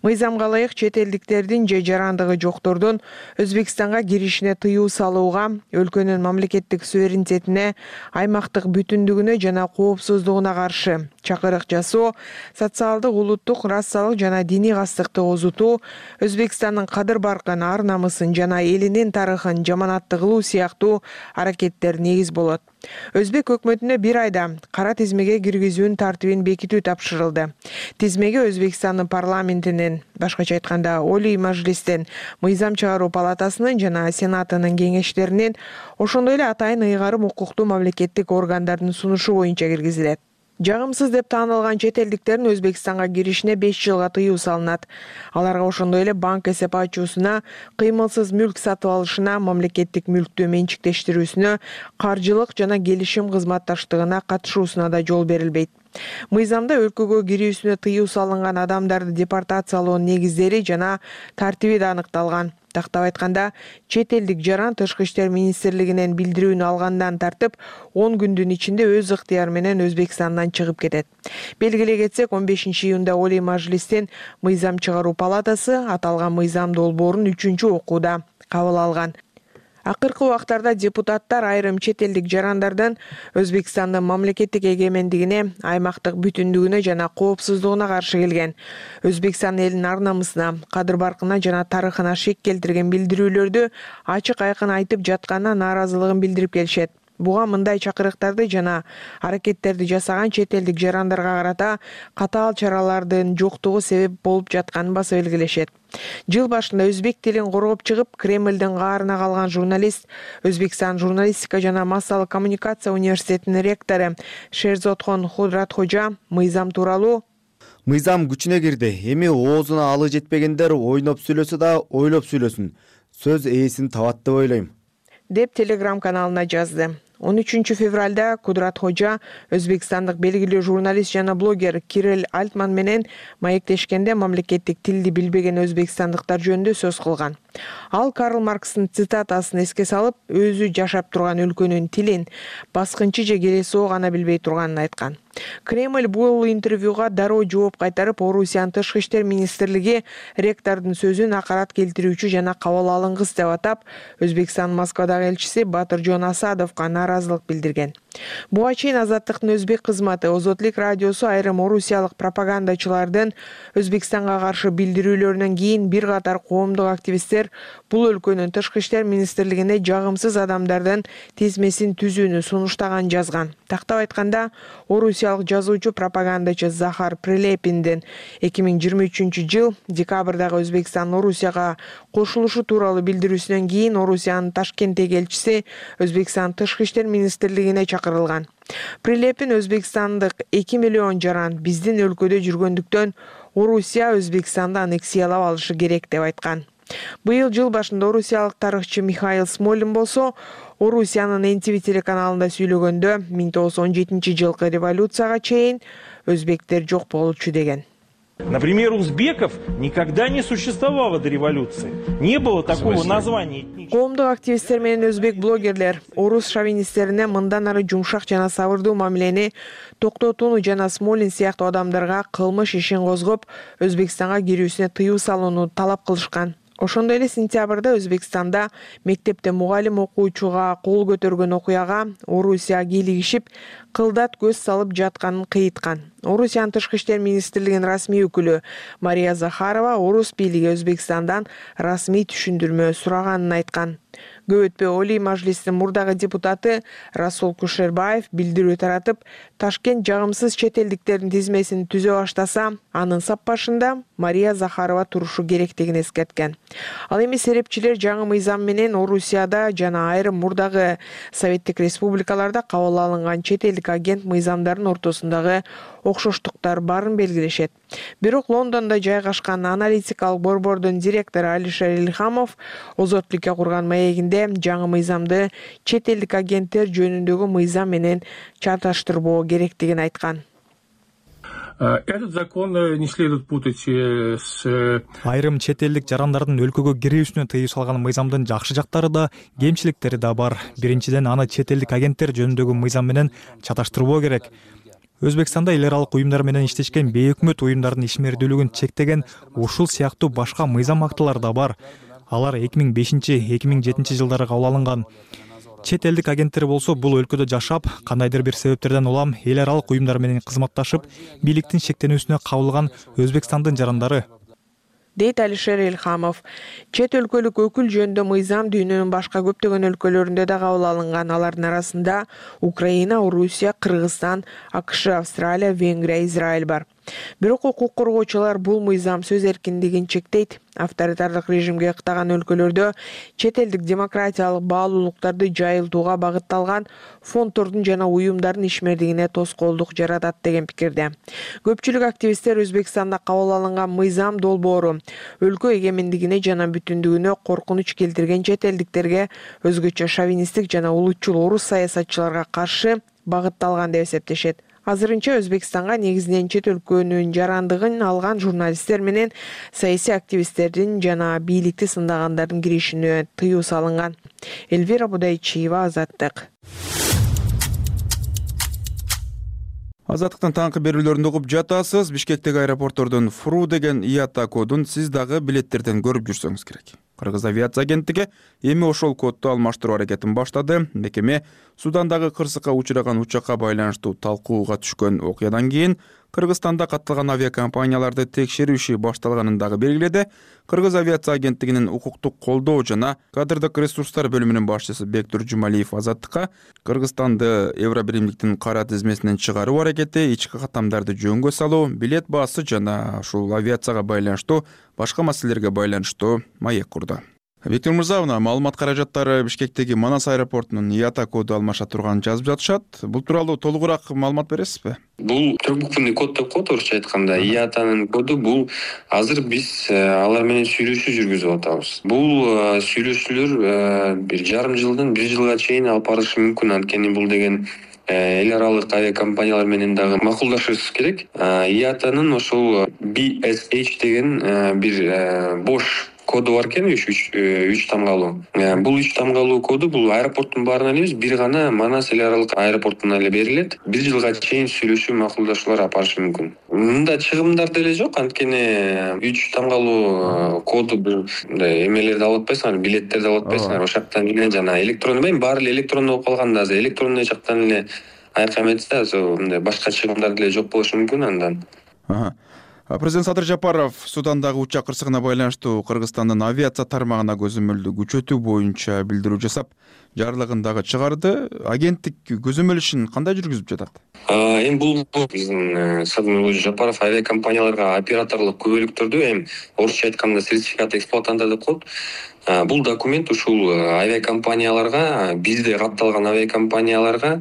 Мыйзамга ылайык чет элдиктердин же жарандыгы жоктордун Өзбекстанга киришине тыюу салууга, өлкөнүн мамлекеттик суверенитетине, аймактык бүтүндүгүнө жана коопсуздугуна каршы чакырык жасоо, социалдык, улуттук, расалык жана диний кастыкты озутуу, Өзбекстандын кадыр баркын, ар намысын жана элинин тарыхын жаманатты кылуу сыяктуу аракеттер негиз болот. Өзбек өкмөтүнө бир айда кара тизмеге киргизүүнүн тартибин бекитүү тапшырылды. Тизмеге Өзбекстандын парламентинин, башкача айтканда Олий Мажлистин, мыйзам чыгаруу палатасынын жана сенатынын кеңештеринин, ошондой эле атайын ыйгарым укуктуу мамлекеттик органдардын сунушу боюнча киргизилет. Жагымсыз деп таанылган чет элдиктердин Өзбекстанга киришине 5 жылга тыюу салынат. Аларга ошондой эле банк эсеп ачуусуна, кыймылсыз мүлк сатып алышына, мамлекеттик мүлктү менчиктештирүүсүнө, каржылык жана келишим кызматташтыгына катышуусуна да жол берилбейт. Мыйзамда өлкөгө кирүүсүнө тыюу салынган адамдарды депортациялоонун негиздери жана тартиби да аныкталган. Тактап айтканда, чет элдик жаран Тышкы иштер министрлигинен билдирүүнү алгандан тартып 10 күндүн ичинде өз ыктыяры менен Өзбекстандан чыгып кетет. Белгилей кетсек, 15 июнда Олий Мажлистин мыйзам чыгаруу палатасы аталган мыйзам долбоорун 3-окууда кабыл алган. Акыркы убактарда депутаттар айрым чет элдик жарандардын Өзбекстандын мамлекеттик эгемендигине, аймактык бүтүндүгүнө жана коопсуздугуна каршы келген. Өзбекстан элинин ар намысына, кадыр баркына жана тарыхына шек келтирген билдирүүлөрдү ачык айкын айтып жатканына нааразылыгын билдирип келишет. Буга мындай чакырыктарды жана аракеттерди жасаган чет элдик жарандарга карата катаал чаралардын жоктугу себеп болуп жатканын баса белгилешет. Жыл башында өзбек тилин коргоп чыгып, Кремлдин каарына калган журналист, Өзбекстан журналистика жана массалык коммуникация университетинин ректору Шерзодхон Худратхожа мыйзам тууралуу «Мыйзам күчүнө кирди. Эми оозуна алы жетпегендер ойноп сүйлөсө да ойлоп сүйлөсүн. Сөз ээсин табат деп ойлойм», деп Telegram каналына жазды. 13 февралда Кудратхожа өзбекстандык белгилүү журналист жана блогер Кирилл Альтман менен маектешкенде мамлекеттик тилди билбеген өзбекстандыктар жөнүндө сөз кылган. Ал Карл Маркстын цитатасын эске салып, өзү жашап турган өлкөнүн тилин баскынчы же келесоо гана билбей турганын айткан. Кремль бул интервьюга дароо жооп кайтарып, Орусиянын Тышкы иштер министрлиги ректордун сөзүн акарат келтирүүчү жана кабыл алынгыс деп атап, Өзбекстан Москвадагы элчиси Батыржон Асадовго нааразылык билдирген. Буга чейин Азаттыктын өзбек кызматы Озотлик радиосу айрым орусиялык пропагандачылардын Өзбекстанга каршы билдирүүлөрүнөн кийин бир катар коомдук активисттер бул өлкөнүн Тышкы иштер министрлигине жагымсыз адамдардын тизмесин түзүүнү сунуштаган жазган. Тактап айтканда, орусиялык жазуучу пропагандачы Захар Прилепиндин 2023 жыл декабрдагы Өзбекстан Орусияга кошулушу тууралуу билдирүүсүнөн кийин Орусиянын Ташкенттеги элчиси Өзбекстан Тышкы иштер министрлигине чакырылган. Прилепин Өзбекстандык 2 миллион жаран биздин өлкөдө жүргөндүктөн Орусия Өзбекстанды аннексиялап алышы керек деп айткан. Быйыл жыл башында орусиялык тарыхчы Михаил Смолин болсо, Орусиянын NTV телеканалында сүйлөгөндө 1917 жылкы революцияга чейин өзбектер жок болчу деген. Например, узбеков никогда не существовало до революции. Не было такого названия. Коомдук активисттер менен өзбек блогерлер орус шовинисттерине мындан ары жумшак жана сабырдуу мамилени токтотууну жана Смолин сыяктуу адамдарга кылмыш ишин козгоп, Өзбекстанга кирүүсүнө тыюу салууну талап кылышкан. Ошондой эле сентябрда Өзбекстанда мектепте мугалим окуучуга кол көтөргөн окуяга Орусия кийлигишип, кылдат көз салып жатканын кыйыткан. Орусиянын Тышкы иштер министрлигинин расмий өкүлү Мария Захарова орус бийлиги Өзбекстандан расмий түшүндүрмө сураганын айткан. Көп өтпөй Олий Мажлистин мурдагы депутаты Расул Кушербаев билдирүү таратып, Ташкент жагымсыз чет элдиктердин тизмесин түзө баштаса, анын саппашында Мария Захарова турушу керектигин эскерткен. Ал эми серепчилер жаңы мыйзам менен Орусияда жана айрым мурдагы Советтик республикаларда кабыл алынган чет элдик агент мыйзамдардын ортосундагы окшоштуктар барын белгилешет. Бирок Лондондо жайгашкан аналитикалык борбордун директору Алишер Ильхамов Озотликке курган маегинде жаңы мыйзамды чет элдик агенттер жөнүндөгү мыйзам менен чаташтырбоо керектигин айткан. Этот закон не следует путать с... Айрым чет элдик жарандардын өлкөгө кирүүсүнө тыюу салган мыйзамдын жакшы жактары да, кемчиликтери да бар. Биринчиден, аны чет элдик агенттер жөнүндөгү мыйзам менен чаташтырбоо керек. Өзбекстанда эл аралык уюмдар менен иштешкен бейөкмөт уюмдардын ишмердүүлүгүн чектеген ушул сыяктуу башка мыйзам актылар да бар. Алар 2005-2007 жылдары кабыл алынган. Чет элдик агенттер болсо бул өлкөдө жашап, кандайдыр бир себептерден улам эл аралык уюмдар менен кызматташып, бийликтин шектенүүсүнө кабылган Өзбекстандын жарандары, дейт Алишер Элхамов. Чет өлкөлүк өкүл жөнүндө мыйзам дүйнөнүн башка көптөгөн өлкөлөрүндө да кабыл алынган. Алардын арасында Украина, Орусия, Кыргызстан, АКШ, Австралия, Венгрия, Израиль бар. Бирок укук коргоочулар бул мыйзам сөз эркиндигин чектейт. Авторитардык режимге ыктаган өлкөлөрдө чет элдик демократиялык баалуулуктарды жайылтууга багытталган фонддордун жана уюмдардын ишмердигине тоскоолдук жаратат деген пикирде. Көпчүлүк активисттер Өзбекстанда кабыл алынган мыйзам долбоору өлкө эгемендигине жана бүтүндүгүнө коркунуч келтирген чет элдиктерге, өзгөчө шовинисттик жана улутчул орус саясатчыларга каршы багытталган деп эсептешет. Азырынча Өзбекстанга негизинен чет өлкөнүн жарандыгын алган журналисттер менен саясий активисттердин жана бийликти сындагандардын киришине тыюу салынган. Эльвира Будайчиева, Азаттык. Азаттыктын таңкы берүүлөрүндө угуп жатасыз. Бишкектеги аэропорттордон Фру деген ИАТА кодун сиз дагы билеттерден көрүп жүрсөңүз керек. Кыргыз авиация агенттиги эми ошол кодду алмаштыруу аракетин баштады. Мекеме Судандагы кырсыкка учураган учакка байланыштуу талкууга түшкөн окуядан кийин Кыргызстанда катталган авиакомпанияларды текшерүү иши башталганын дагы белгиледи. Кыргыз авиация агенттигинин укуктук колдоо жана кадрдык ресурстар бөлүмүнүн башчысы Бектур Жумалиев Азаттыкка Кыргызстанды Евробиримдиктин кара тизмесинен чыгаруу аракети, ички каттамдарды жөнгө салуу, билет баасы жана ушул авиацияга байланыштуу башка маселелерге байланыштуу маек курду. Виктор Мырза, маалымат каражаттары Бишкектеги Манас аэропортунун ИАТА коду алмаша турганын жазып жатышат. Бул тууралуу толугураак маалымат бересизби? Бул трехбуквенный код деп коет орусча айтканда. ИАТАнын коду бул азыр биз алар менен сүйлөшүү жүргүзүп атабыз. Бул сүйлөшүүлөр бир жарым жылдан 1 жылга чейин алып барышы мүмкүн. Анткени бул деген эл аралык авиакомпаниялар менен дагы макулдашышыбыз керек. ИАТАнын ошол BSH деген бир бош коду бар экен, 3 тамгалуу. Бул 3 тамгалуу коду бул аэропорттун баарына эле эмес, бир гана Манас эл аралык аэропортуна эле берилет. 1 жылга чейин сүйлөшүү, макулдашуулар алып барышы мүмкүн. Мында чыгымдар деле жок, анткени 3 тамгалуу коду бир эмелерди алып атпайсыңар, билеттерди алып атпайсыңар. Ошол жактан эле жана электронный, баары эле электронный болуп калганда азыр электронный жактан эле айкам этсе, азыр башка чыгымдар деле жок болушу мүмкүн андан. Президент Садыр Жапаров Судандагы учак кырсыгына байланыштуу Кыргызстандын авиация тармагына көзөмөлдү күчөтүү боюнча билдирүү жасап, жарлыгын дагы чыгарды. Агенттик көзөмөл ишин кандай жүргүзүп жатат? Эми бул биздин Садыр Жапаров авиакомпанияларга операторлук күбөлүктөрдү, орусча айтканда сертификат эксплуатанта деп коет. Бул документ ушул авиакомпанияларга, бизде катталган авиакомпанияларга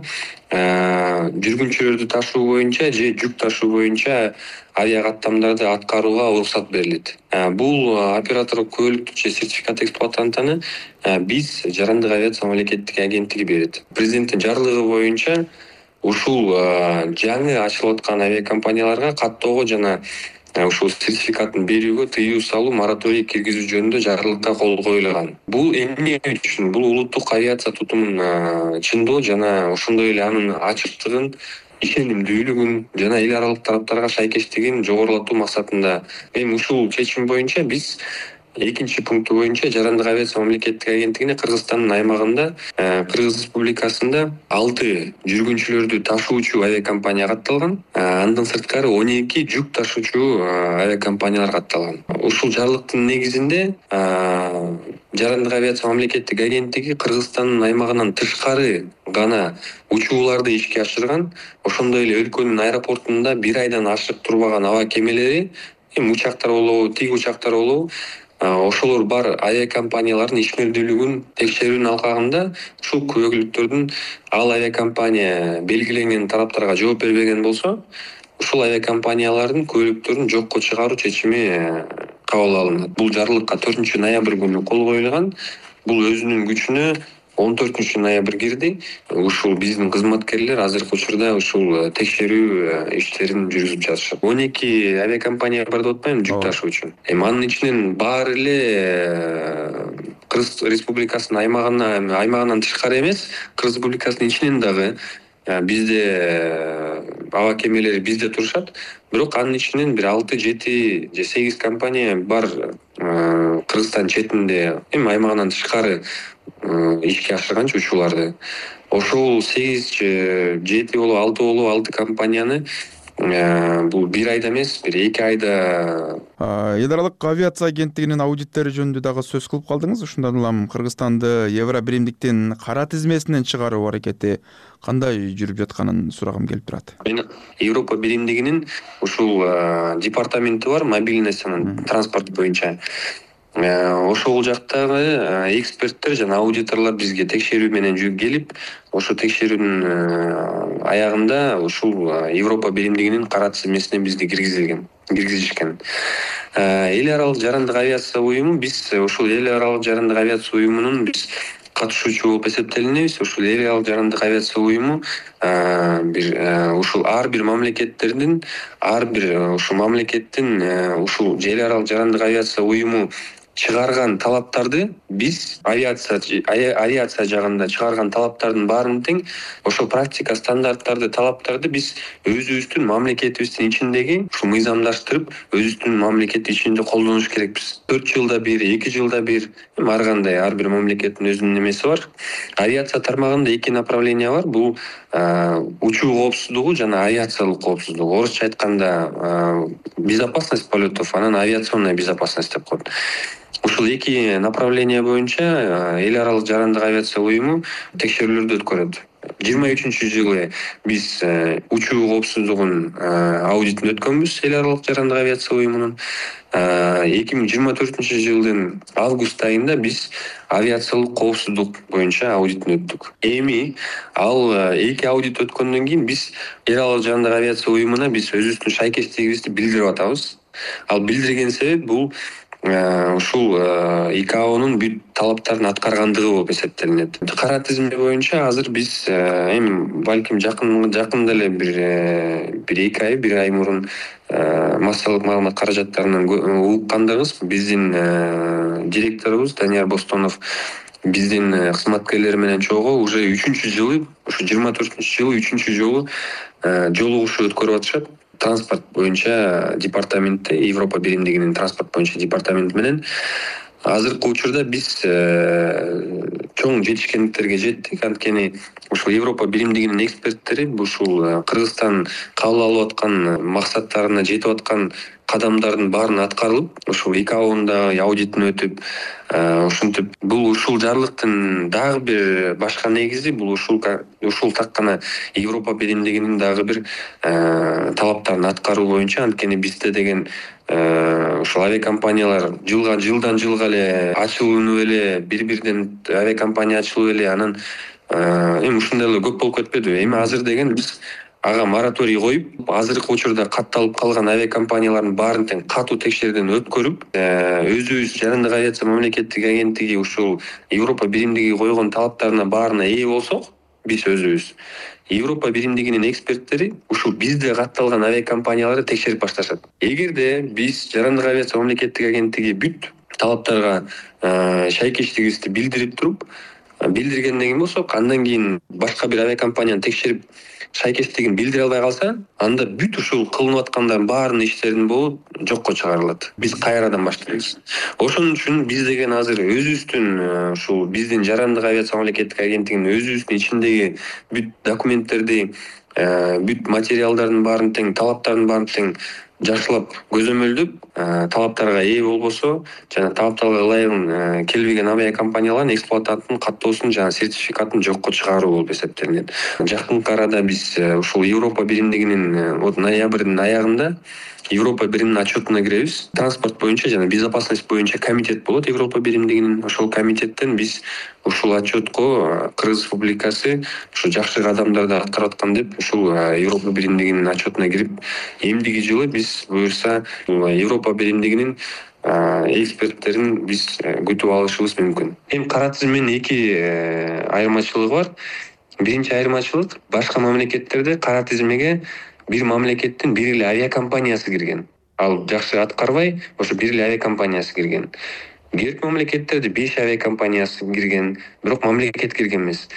жүргүнчүлөрдү ташуу боюнча же жүк ташуу боюнча авиакаттамдарды аткарууга уруксат берилет. Бул операторлук күбөлүктү же сертификат эксплуатантаны биз Жарандык авиация мамлекеттик агенттиги берет. Президенттин жарлыгы боюнча ушул жаңы ачылып аткан авиакомпанияларга каттоого жана ушул сертификатын берүүгө тыюу салуу, мораторий киргизүү жөнүндө жарлыкка кол коюлган. Бул эмне үчүн? Бул улуттук авиация тутумун чындоо жана ошондой эле анын ачыктыгын, ишенимдүүлүгүн жана эл аралык тараптарга шайкештигин жогорулатуу максатында. Эми ушул чечим боюнча биз экинчи пункту боюнча Жарандык авиация мамлекеттик агенттигине Кыргызстандын аймагында, Кыргыз Республикасында 6 жүргүнчүлөрдү ташуучу авиакомпания катталган. Андан сырткары 12 жүк ташуучу авиакомпаниялар катталган. Ушул жарлыктын негизинде Жарандык авиация мамлекеттик агенттиги Кыргызстандын аймагынан тышкары гана учууларды ишке ашырган. Ошондой эле өлкөнүн аэропортунда 1 айдан ашык турбаган аба кемелери, учактар болобу, тиги учактар болобу, ошолор бар авиакомпаниялардын ишмердүүлүгүн текшерүүнүн алкагында ушул күбөлүктөрдүн ал авиакомпания белгиленген тараптарга жооп бербеген болсо, ушул авиакомпаниялардын күбөлүктөрүн жокко чыгаруу чечими кабыл алынат. Бул жарлыкка 4 ноябрь күнү кол коюлган. Бул өзүнүн күчүнө 14 ноябрь кирди. Ушул биздин кызматкерлер азыркы учурда ушул текшерүү иштерин жүргүзүп жатышат. 12 авиакомпания бар деп атпаймынбы жүк ташуучу. Анын ичинен баары эле Кыргыз Республикасынын аймагынан тышкары эмес, Кыргыз Республикасынын ичинен дагы бизде аба кемелери бизде турушат. Бирок анын ичинен бир 6-7 же 8 компания бар Кыргызстан четинде, аймагынан тышкары ишке ашырганчы учууларды. Ошол 8 же 7 болобу 6 болобу 6 компанияны бул бир айда эмес, бир 2 айда Эл аралык авиация агенттигинин аудиттери жөнүндө дагы сөз кылып калдыңыз. Ушундан улам Кыргызстанды Евро биримдиктин кара тизмесинен чыгаруу аракети кандай жүрүп жатканын сурагым келип турат. Мен Европа биримдигинин ушул департаменти бар, мобильность транспорт боюнча. Ошол жактагы эксперттер жана аудиторлор бизге текшерүү менен келип, ошо текшерүүнүн аягында ушул Европа биримдигинин кара тизмесине бизди киргизишкен. Эл аралык жарандык авиация уюму, биз ушул эл аралык жарандык авиация уюмунун биз катышуучу болуп эсептелинебиз. Ушул эл аралык жарандык авиация уюму ушул ар бир мамлекеттердин, ар бир ушул мамлекеттин ушул эл аралык жарандык авиация уюму чыгарган талаптарды биз авиация жагында чыгарган талаптардын баарын тең ошо практика стандарттарды, талаптарды биз өзүбүздүн мамлекетибиздин ичиндеги ушул мыйзамдаштырып, өзүбүздүн мамлекет ичинде колдонуш керекпиз. 4 жылда бир, 2 жылда бир, ар кандай ар бир мамлекеттин өзүнүн эмеси бар. Авиация тармагында 2 направление бар. Бул учуу коопсуздугу жана авиациялык коопсуздук. Орусча айтканда безопасность полетов, анан авиационная безопасность деп коет. Ушул 2 направление боюнча эл аралык жарандык авиация уюму текшерүүлөрдү өткөрөт. 23-жылы биз учуу коопсуздугунун аудитин өткөнбүз эл аралык жарандык авиация уюмунун. 2024-жылдын август айында биз авиациялык коопсуздук боюнча аудитин өттүк. Эми ал 2 аудит өткөндөн кийин биз эл аралык жарандык авиация уюмуна биз өзүбүздүн шайкечтигибизди билдирип атабыз. Ал билдирген себеп бул ушул ИКАОнун бүт талаптарын аткаргандыгы болуп эсептелинет. Кара тизме боюнча азыр биз балким жакында эле бир 2 ай, 1 ай мурун массалык маалымат каражаттарынан уккандыгыбыз, биздин директорубуз Данияр Бостонов биздин кызматкерлер менен чогуу уже 3-жылы, ушу 24-жылы 3-жолу жолугушуу өткөрүп атышат. Транспорт боюнча департаментте, Европа биримдигинин транспорт боюнча департаменти менен азыркы учурда биз чоң жетишкендиктерге жеттик. Анткени ушул Европа биримдигинин эксперттери ушул Кыргызстан кабыл алып аткан максаттарына жетип аткан кадамдардын баарын аткарылып, ушул ИКАОнун да аудитин өтүп, ушинтип бул ушул жарлыктын дагы бир башка негизи бул ушул так гана Европа биримдигинин дагы бир талаптарын аткаруу боюнча. Анткени бизде деген ушул авиакомпаниялар жылдан жылга эле ачылынып эле, бири-биринен авиакомпания ачылып эле, анан эми ушундай эле көп болуп кетпедиби? Эми азыр деген биз ага мораторий коюп, азыркы учурда катталып калган авиакомпаниялардын баарын тең катуу текшерүүдөн өткөрүп, өзүбүз жарандык авиация мамлекеттик агенттиги ушул Европа биримдиги койгон талаптарына баарына ээ болсок, биз өзүбүз Европа биримдигинин эксперттери ушул бизде катталган авиакомпанияларды текшерип башташат. Эгерде биз жарандык авиация мамлекеттик агенттиги бүт талаптарга шайкечтигибизди билдирип туруп, билдиргенден кийин болсок, андан кийин башка бир авиакомпанияны текшерип шайкечтигин билдире албай калса, анда бүт ушул кылынып аткандардын баарынын иштеринин болу жокко чыгарылат. Биз кайрадан баштайбыз. Ошон үчүн биз деген азыр өзүбүздүн ушул биздин жарандык авиация мамлекеттик агенттигинин өзүбүздүн ичиндеги бүт документтерди, бүт материалдардын баарын тең, талаптардын баарын тең жакшылап көзөмөлдөп, талаптарга ээ болбосо жана талаптарга ылайыгын келбеген авиакомпаниялардын эксплуатанттын каттоосун жана сертификатын жокко чыгаруу болуп эсептелинет. Жакынкы арада биз ушул Европа биримдигинин ноябрдын аягында Европа биримдигинин отчетуна киребиз. Транспорт боюнча жана безопасность боюнча комитет болот Европа биримдигинин. Ошол комитеттен биз ушул отчетко Кыргыз Республикасы ушу жакшы кадамдарды аткарып аткан деп ушул Европа биримдигинин отчетуна кирип, эмдиги жылы биз буюрса Европа биримдигинин эксперттерин биз күтүп алышыбыз мүмкүн. Эми кара тизменин эки айырмачылыгы бар. Биринчи айырмачылык, башка мамлекеттерде кара тизмеге бир мамлекеттин бир эле авиакомпаниясы кирген. Ал жакшы аткарбай, ошо бир эле авиакомпаниясы кирген. Кээки мамлекеттерде 5 авиакомпаниясы кирген, бирок мамлекет кирген эмес.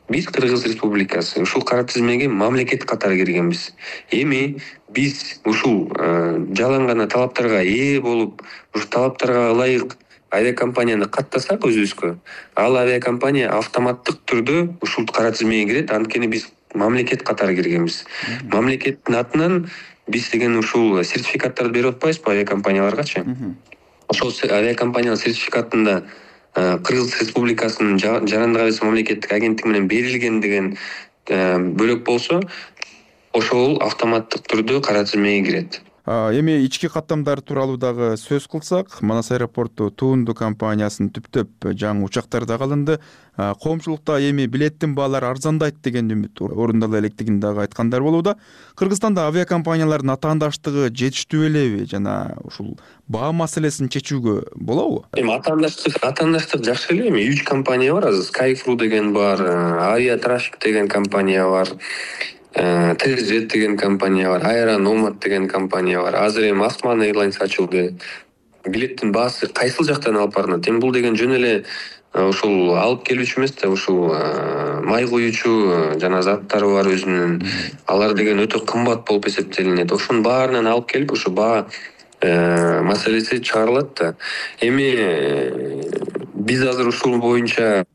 Биз Кыргыз Республикасы ушул кара тизмеге мамлекет катары киргенбиз. Эми биз ушул жалаң гана талаптарга ээ болуп, ушул талаптарга ылайык авиакомпанияны каттасак өзүбүзгө, ал авиакомпания автоматтык түрдө ушул кара тизмеге кирет, анткени биз мамлекет катары киргенбиз. Мамлекеттин атынан биз деген ушул сертификаттарды берип атпайбызбы авиакомпанияларгачы? Ошол авиакомпаниянын сертификатында Кыргыз Республикасынын жарандык авиация мамлекеттик агенттиги менен берилген деген бөлөк болсо, ошол автоматтык түрдө кара тизмеге кирет. Эми ички каттамдар тууралуу дагы сөз кылсак, Манас аэропорту Туунду компаниясынын түптөп жаңы учактары да алынды. Коомчулукта эми билеттин баалары арзандайт деген үмүт орундала электигин дагы айткандар болууда. Кыргызстанда авиакомпаниялардын атаандаштыгы жетиштүү элеби жана ушул баа маселесин чечүүгө болобу? Эми атаандаштык жакшы эле. Эми 3 компания бар азыр. Skyfru деген бар, Aviatraffic деген компания бар. TJet деген компания бар, Aeronomad деген компания бар. Азыр эми Osman Airlines ачылды. Билеттин баасы кайсыл жактан алып барынат? Эми бул деген жөн эле ушул алып келүүчү эмес да, ушул май куючу жана заттары бар өзүнүн. Алар деген өтө кымбат болуп эсептелинет. Ошонун баарынан алып келип ушу баа маселеси чыгарылат да. Эми биз азыр ушул боюнча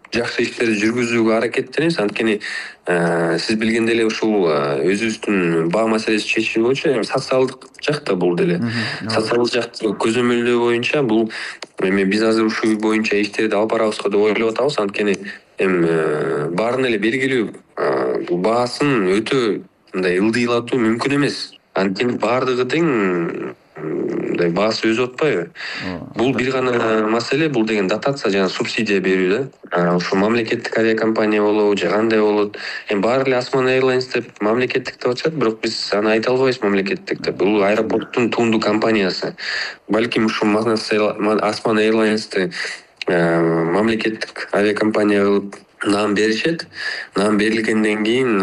жакшы иштерди жүргүзүүгө аракеттенебиз. Анткени сиз билгендей эле ушул өзүбүздүн баа маселеси чечүү боюнча социалдык жакта бул деле. Социалдык жакты көзөмөлдөө боюнча бул эми биз азыр ушул боюнча иштерди алып барабызга деп ойлоп атабыз. Анткени эми баарын эле бергилүү баасын өтө мындай ылдыйлатуу мүмкүн эмес. Анткени баардыгы тең баасы өзүп атпайбы? Бул бир гана маселе, бул деген дотация жана субсидия берүү да. Ушул мамлекеттик авиакомпания болобу, же кандай болот. Эми баары эле Osman Airlines деп мамлекеттик деп атышат, бирок биз аны айта албайбыз мамлекеттик деп. Бул аэропорттун Туунду компаниясы. Балким ушул Osman Airlines'ты мамлекеттик авиакомпания кылып наам беришет. Наам берилгенден кийин,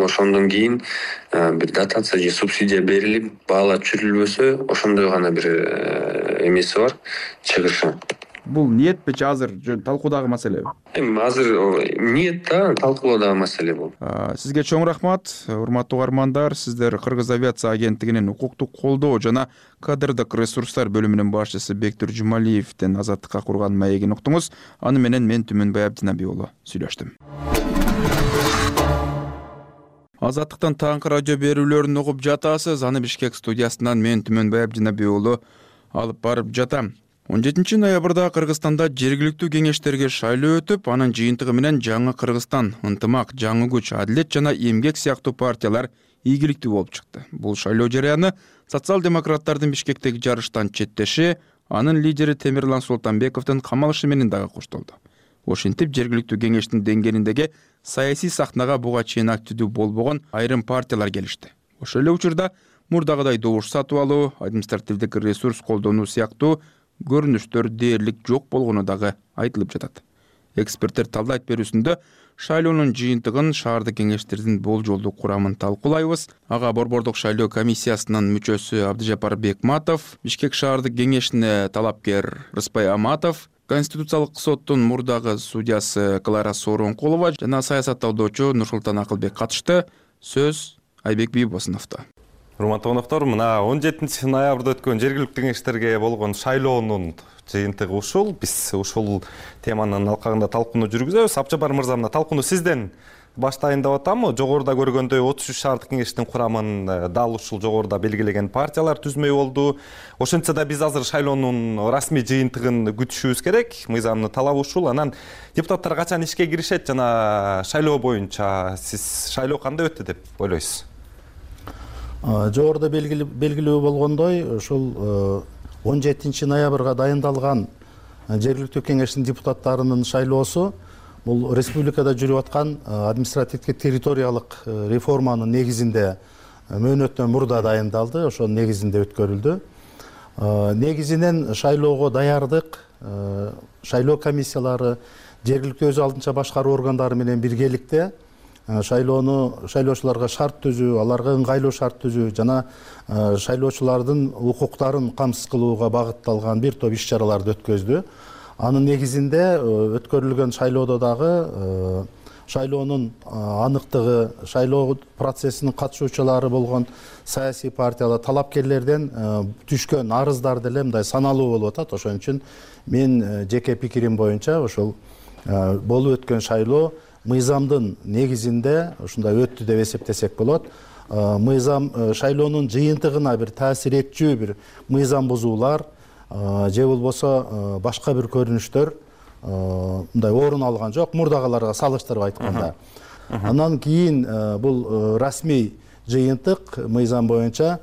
ошондон кийин бир дотация же субсидия берилип, баалар түшүрүлбөсө, ошондой гана бир эмеси бар, чыгышы. Бул ниетпи же азыр талкуудагы маселеби? Эми азыр ниет да, талкуудагы маселе бул. Сизге чоң рахмат, урматтуу угармандар. Сиздер Кыргыз авиация агенттигинин укуктук колдоо жана кадрдык ресурстар бөлүмүнүн башчысы Бектур Жумалиевден Азаттыкка курган маегин уктуңуз. Аны менен мен Түмөнбай Абдинаби уулу сүйлөштүм. Азаттыктан таңкы радио берүүлөрүн угуп жатасыз. Аны Бишкек студиясынан мен Түмөнбай Абдинаби уулу алып барып жатам. 17 ноябрда Кыргызстанда жергиликтүү кеңештерге шайлоо өтүп, анын жыйынтыгы менен жаңы Кыргызстан, Ынтымак, Жаңы күч, Адилет жана Эмгек сыяктуу партиялар ийгиликтүү болуп чыкты. Бул шайлоо жарыяны социал-демократтардын Бишкектеги жарыштан четтеши, анын лидери Темирлан Султанбековдун камалышы менен дагы коштолду. Ошентип жергиликтүү кеңештин деңгээлиндеги саясий сахнага буга чейин активдүү болбогон айрым партиялар келишти. Ошол эле учурда мурдагыдай добуш сатып алуу, административдик ресурс колдонуу сыяктуу көрүнүштөр дээрлик жок болгону дагы айтылып жатат. Эксперттер талдайт берүүсүндө шайлоонун жыйынтыгын, шаардык кеңештердин болжолдуу курамын талкуулайбыз. Ага Борбордук шайлоо комиссиясынын мүчөсү Абдыжапар Бекматов, Бишкек шаардык кеңешине талапкер Рыспай Аматов, Конституциялык соттун мурдагы судьясы Клара Сооронкулова жана саясаттоодочу Нурсултан Акылбек катышты. Сөз Айбек Бийбосуновдо. Урматтуу коноктор, мына 17 ноябрда өткөн жергиликтүү кеңештерге болгон шайлоонун жыйынтыгы ушул. Биз ушул теманын алкагында талкууну жүргүзөбүз. Абдыжапар мырза, мына талкууну сизден баштайын деп атамы? Жогоруда көргөндөй 33 шаардык кеңештин курамын дал ушул жогоруда белгилеген партиялар түзмөй болду. Ошентсе да биз азыр шайлоонун расмий жыйынтыгын күтүшүбүз керек. Мыйзамдын талабы ушул. Анан депутаттар качан ишке киришет жана шайлоо боюнча сиз шайлоо кандай өттү деп ойлойсуз? Жогоруда белгилүү болгондой, ушул 17 ноябрга дайындалган жергиликтүү кеңештин депутаттарынын шайлоосу бул республикада жүрүп аткан административдик территориялык реформанын негизинде мөөнөттөн мурда дайындалды, ошонун негизинде өткөрүлдү. Негизинен шайлоого даярдык, шайлоо комиссиялары жергиликтүү өз алдынча башкаруу органдары менен биргеликте шайлоочуларга шарт түзүү, аларга ыңгайлуу шарт түзүү жана шайлоочулардын укуктарын камсыз кылууга багытталган бир топ иш чараларды өткөздү. Анын негизинде өткөрүлгөн шайлоодо дагы шайлоонун аныктыгы, шайлоо процессинин катышуучулары болгон саясий партиялар, талапкерлерден түшкөн арыздар деле мындай саналуу болуп атат. Ошон үчүн мен жеке пикирим боюнча ошол болуп өткөн шайлоо мыйзамдын негизинде ушундай өттү деп эсептесек болот. Мыйзам шайлоонун жыйынтыгына бир таасир этчү бир мыйзам бузуулар же болбосо башка бир көрүнүштөр мындай орун алган жок, мурдагыларга салыштырып айтканда. Андан кийин бул расмий жыйынтык мыйзам боюнча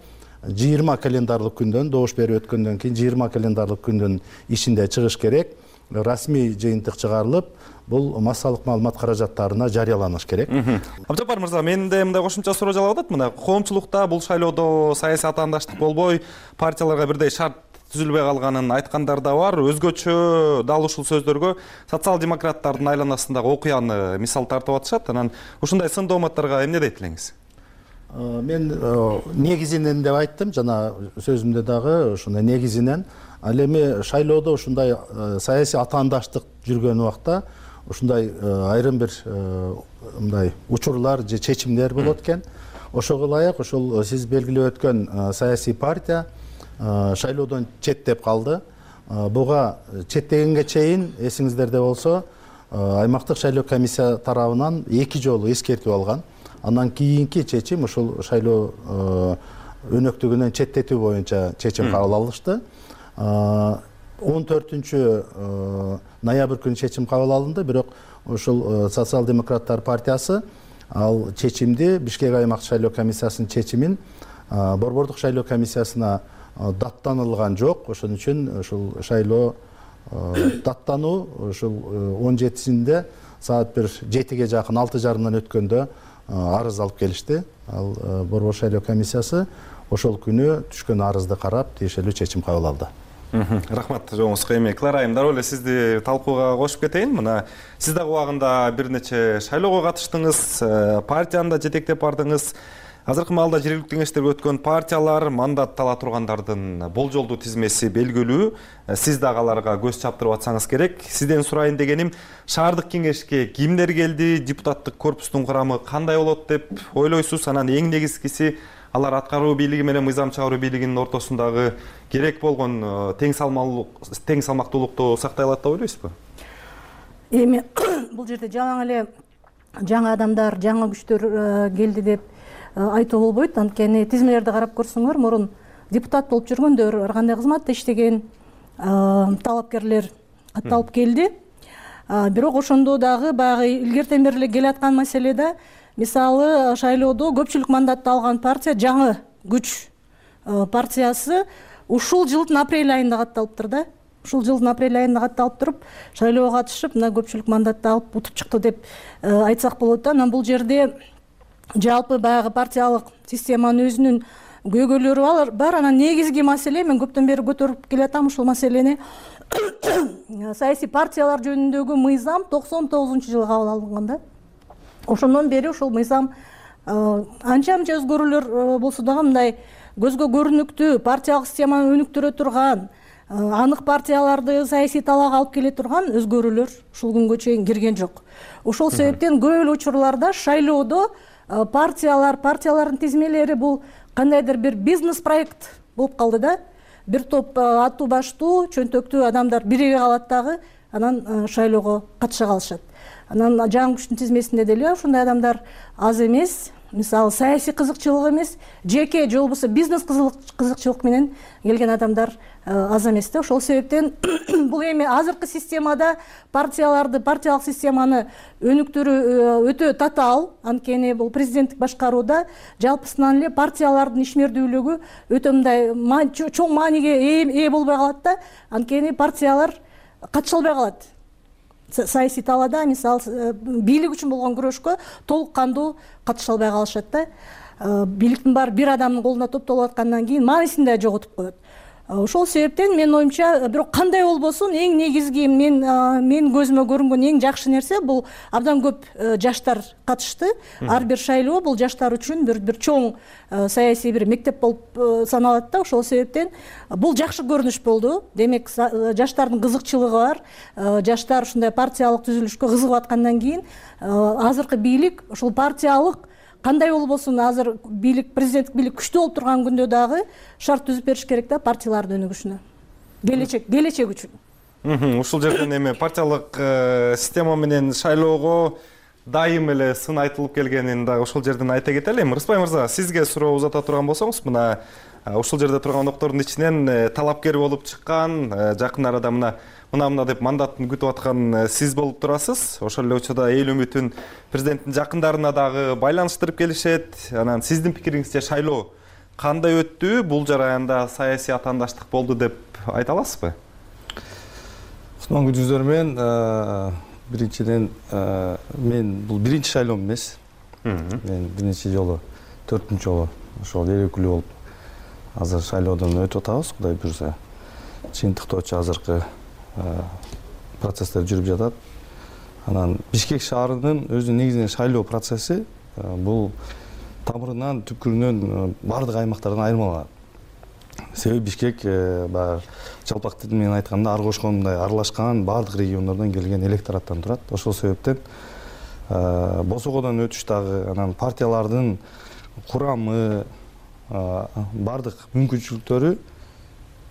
20 календарлык күндөн, добуш берип өткөндөн кийин 20 календарлык күндүн ичинде чыгыш керек. Расмий жыйынтык чыгарылып, бул массалык маалымат каражаттарына жарыяланыш керек. Абжапар мырза, менде мындай кошумча суроо жалгап атат. Мына коомчулукта бул шайлоодо саясий атаандаштык болбой, партияларга бирдей шарт түзүлбөй калганын айткандар да бар. Өзгөчө дал ушул сөздөргө социал-демократтардын айланасындагы окуяны мисал тартып атышат. Анан ушундай сын дооматтарга эмне дейт элеңиз? Мен негизинен деп айттым, жана сөзүмдө дагы ушундай негизинен. Ал эми шайлоодо ушундай саясий атаандаштык жүргөн убакта ушундай айрым бир мындай учурлар же чечимдер болот экен. Ошого ылайык ушул сиз белгилеп өткөн саясий партия шайлоодон четтеп калды. Буга четтегенге чейин эсиңиздерде болсо аймактык шайлоо комиссия тарабынан 2 жолу эскертип алган. Андан кийинки чечим ушул шайлоо өнөктүгүнөн четтетүү боюнча чечим кабыл алышты. 14 ноябрь күнү чечим кабыл алынды, бирок ушул социал-демократтар партиясы ал чечимди Бишкек аймак шайлоо комиссиясынын чечимин борбордук шайлоо комиссиясына даттанылган жок. Ошон үчүн ушул шайлоо даттануу ушул 17-синде саат 7-ге жакын 6:30 өткөндө арыз алып келишти. Ал борбор шайлоо комиссиясы ошол күнү түшкөн арызды карап тиешелүү чечим кабыл алды. Рахмат жоңузга. Эми Клара айым, дароо эле сизди талкууга кошуп кетейин. Мына сиз дагы убагында бир нече шайлоого катыштыңыз, партияны да жетектеп бардыңыз. Азыркы маалда жергиликтүү кеңештерге өткөн партиялар мандат ала тургандардын болжолдуу тизмеси белгилүү. Сиз дагы аларга көз чаптырып атсаңыз керек. Сизден сурайын дегеним, шаардык кеңешке кимдер келди, депутаттык корпустун курамы кандай болот деп ойлойсуз? Анан эң негизгиси алар аткаруу бийлиги менен мыйзам чыгаруу бийлигинин ортосундагы керек болгон тең салмактуулукту сактай алат деп ойлойсузбу? Эми бул жерде жалаң эле жаңы адамдар, жаңы күчтөр келди деп айтуу болбойт. Анткени тизмелерди карап көрсөңөр, мурун депутат болуп жүргөндөр, ар кандай кызматта иштеген талапкерлер катталып келди. Бирок ошондо дагы баягы илгертен бери эле келаткан маселеде, мисалы шайлоодо көпчүлүк мандатты алган партия жаңы күч партиясы ушул жылдын апрель айында катталыптыр да. Ушул жылдын апрель айында катталып туруп, шайлоого катышып, мына көпчүлүк мандатты алып утуп чыкты деп айтсак болот да. Анан бул жерде жалпы баягы партиялык системанын өзүнүн көйгөйлөрү бар. Анан негизги маселе, мен көптөн бери көтөрүп келатам ушул маселени, саясий партиялар жөнүндөгү мыйзам 99-жылы кабыл алынган да. Ошондон бери ушул мыйзам анча-мынча өзгөрүүлөр болсо дагы мындай көзгө көрүнүктүү партиялык системаны өнүктүрө турган, анык партияларды саясий талаага алып келе турган өзгөрүүлөр ушул күнгө чейин кирген жок. Ошол себептен көп эле учурларда шайлоодо партиялардын тизмелери бул кандайдыр бир бизнес проект болуп калды да. Бир топ аттуу баштуу, чөнтөктүү адамдар бириге калат дагы, анан шайлоого катыша калышат. Анан жаңы күчтүн тизмесинде деле ушундай адамдар аз эмес. Мисалы саясий кызыкчылык эмес, жеке же болбосо бизнес кызыкчылык менен келген адамдар аз эмес да. Ошол себептен бул эми азыркы системада партиялык системаны өнүктүрүү өтө татаал. Анткени бул президенттик башкарууда жалпысынан эле партиялардын ишмердүүлүгү өтө мындай чоң мааниге ээ болбой калат да. Анткени партиялар катыша албай калат. Саясий талаада, мисалы, бийлик үчүн болгон күрөшкө толук кандуу катыша албай калышат да. Бийликтин баары бир адамдын колунда топтолуп аткандан кийин маанисин да жоготуп коет. Ошол себептен менин оюмча бирок кандай болбосун эң негизги менин көзүмө көрүнгөн эң жакшы нерсе бул абдан көп жаштар катышты. Ар бир шайлоо бул жаштар үчүн бир чоң саясий бир мектеп болуп саналат да. Ошол себептен бул жакшы көрүнүш болду. Демек жаштардын кызыкчылыгы бар. Жаштар ушундай партиялык түзүлүшкө кызыгып аткандан кийин азыркы бийлик ушул партиялык кандай болбосун азыр бийлик президенттик бийлик күчтүү болуп турган күндө дагы шарт түзүп бериш керек да партиялардын өнүгүшүнө. Келечек үчүн. Ушул жерден эми партиялык система менен шайлоого дайым эле сын айтылып келгенин дагы ушул жерден айта кетели. Рыспай мырза, сизге суроо узата турган болсоңуз, мына ушул жерде турган октордун ичинен талапкер болуп чыккан, жакын арада мына деп мандатын күтүп аткан сиз болуп турасыз. Ошол эле учурда эл үмүтүн президенттин жакындарына дагы байланыштырып келишет. Анан сиздин пикириңизче шайлоо кандай өттү? Бул жараянда саясий атаандаштык болду деп айта аласызбы? Кутман күнүңүздөр менен биринчиден мен бул биринчи шайлоом эмес. Мен биринчи жолу 4-үнчү жолу ошол эл өкүлү болуп азыр шайлоодон өтүп атабыз, Кудай буйрса. Жыйынтыктоочу азыркы процесстер жүрүп жатат. Анан Бишкек шаарынын өзүнүн негизинен шайлоо процесси бул тамырынан, түпкүрүнөн бардык аймактардан айырмаланат. Себеби Бишкек баягы жалпак тил менен айтканда ар кошкондой аралашкан бардык региондордон келген электораттан турат. Ошол себептен босогодон өтүш дагы, анан партиялардын курамы, бардык мүмкүнчүлүктөрү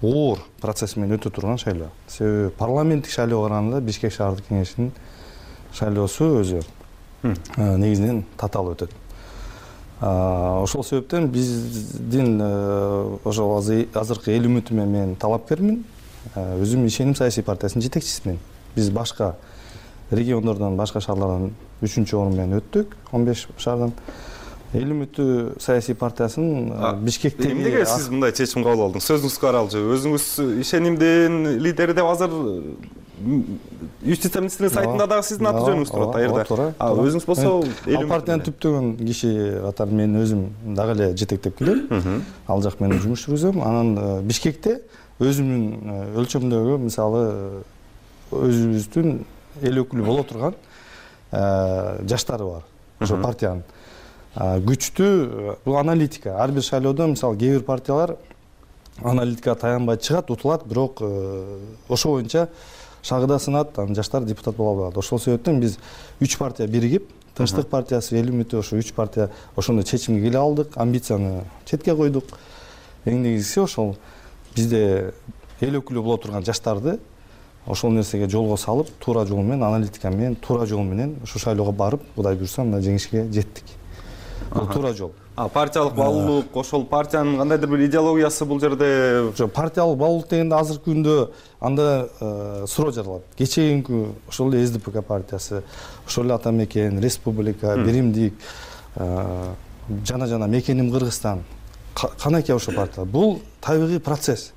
оор процесс менен өтө турган шайлоо. Себеби парламенттик шайлоого караганда Бишкек шаардык кеңешинин шайлоосу өзү негизинен татаал өтөт. Ошол себептен биздин ошол азыркы эл үмүтүмө мен талапкермин. Өзүм Ишеним саясий партиясынын жетекчисимин. Биз башка региондордон, башка шаарлардан 3-орун менен өттүк, 15 шаардан. Эл үмүтү саясий партиясынын Бишкектеги эмнеге сиз мындай чечим кабыл алдыңыз? Сөзүңүзгө аралчы. Өзүңүз Ишенимдин лидери деп азыр юстиция министринин сайтында дагы сиздин аты жөнүңүз турат аерда. Өзүңүз болсо ал партиянын түптөгөн киши катары мен өзүм дагы эле жетектеп келем. Ал жак менен жумуш жүргүзөм. Анан Бишкекте өзүмдүн өлчөмдөгү мисалы өзүбүздүн эл өкүлү боло турган жаштары бар. Ошо партиянын күчтүү бул аналитика. Ар бир шайлоодо мисалы кээ бир партиялар аналитикага таянбай чыгат, утулат, бирок ошо боюнча шагыда сынат, анан жаштар депутат боло албайт. Ошол себептен биз 3 партия биригип, Тынчтык партиясы, эл үмүтү, ошо 3 партия ошондой чечимге келе алдык, амбицияны четке койдук. Эң негизгиси ошол бизде эл өкүлү боло турган жаштарды ошол нерсеге жолго салып, туура жол менен, аналитика менен, туура жол менен ушул шайлоого барып, Кудай буйрса мына жеңишке жеттик. Бул туура жол. Партиялык баалуулук, ошол партиянын кандайдыр бир идеологиясы бул жерде. Партиялык баалуулук дегенде азыркы күндө анда суроо жаралат. Кечээинки ошол эле СДПК партиясы, ошол эле Ата Мекен, Республика, Биримдик, жана Мекеним Кыргызстан, канаке ошол партиялар. Бул табигый процесс.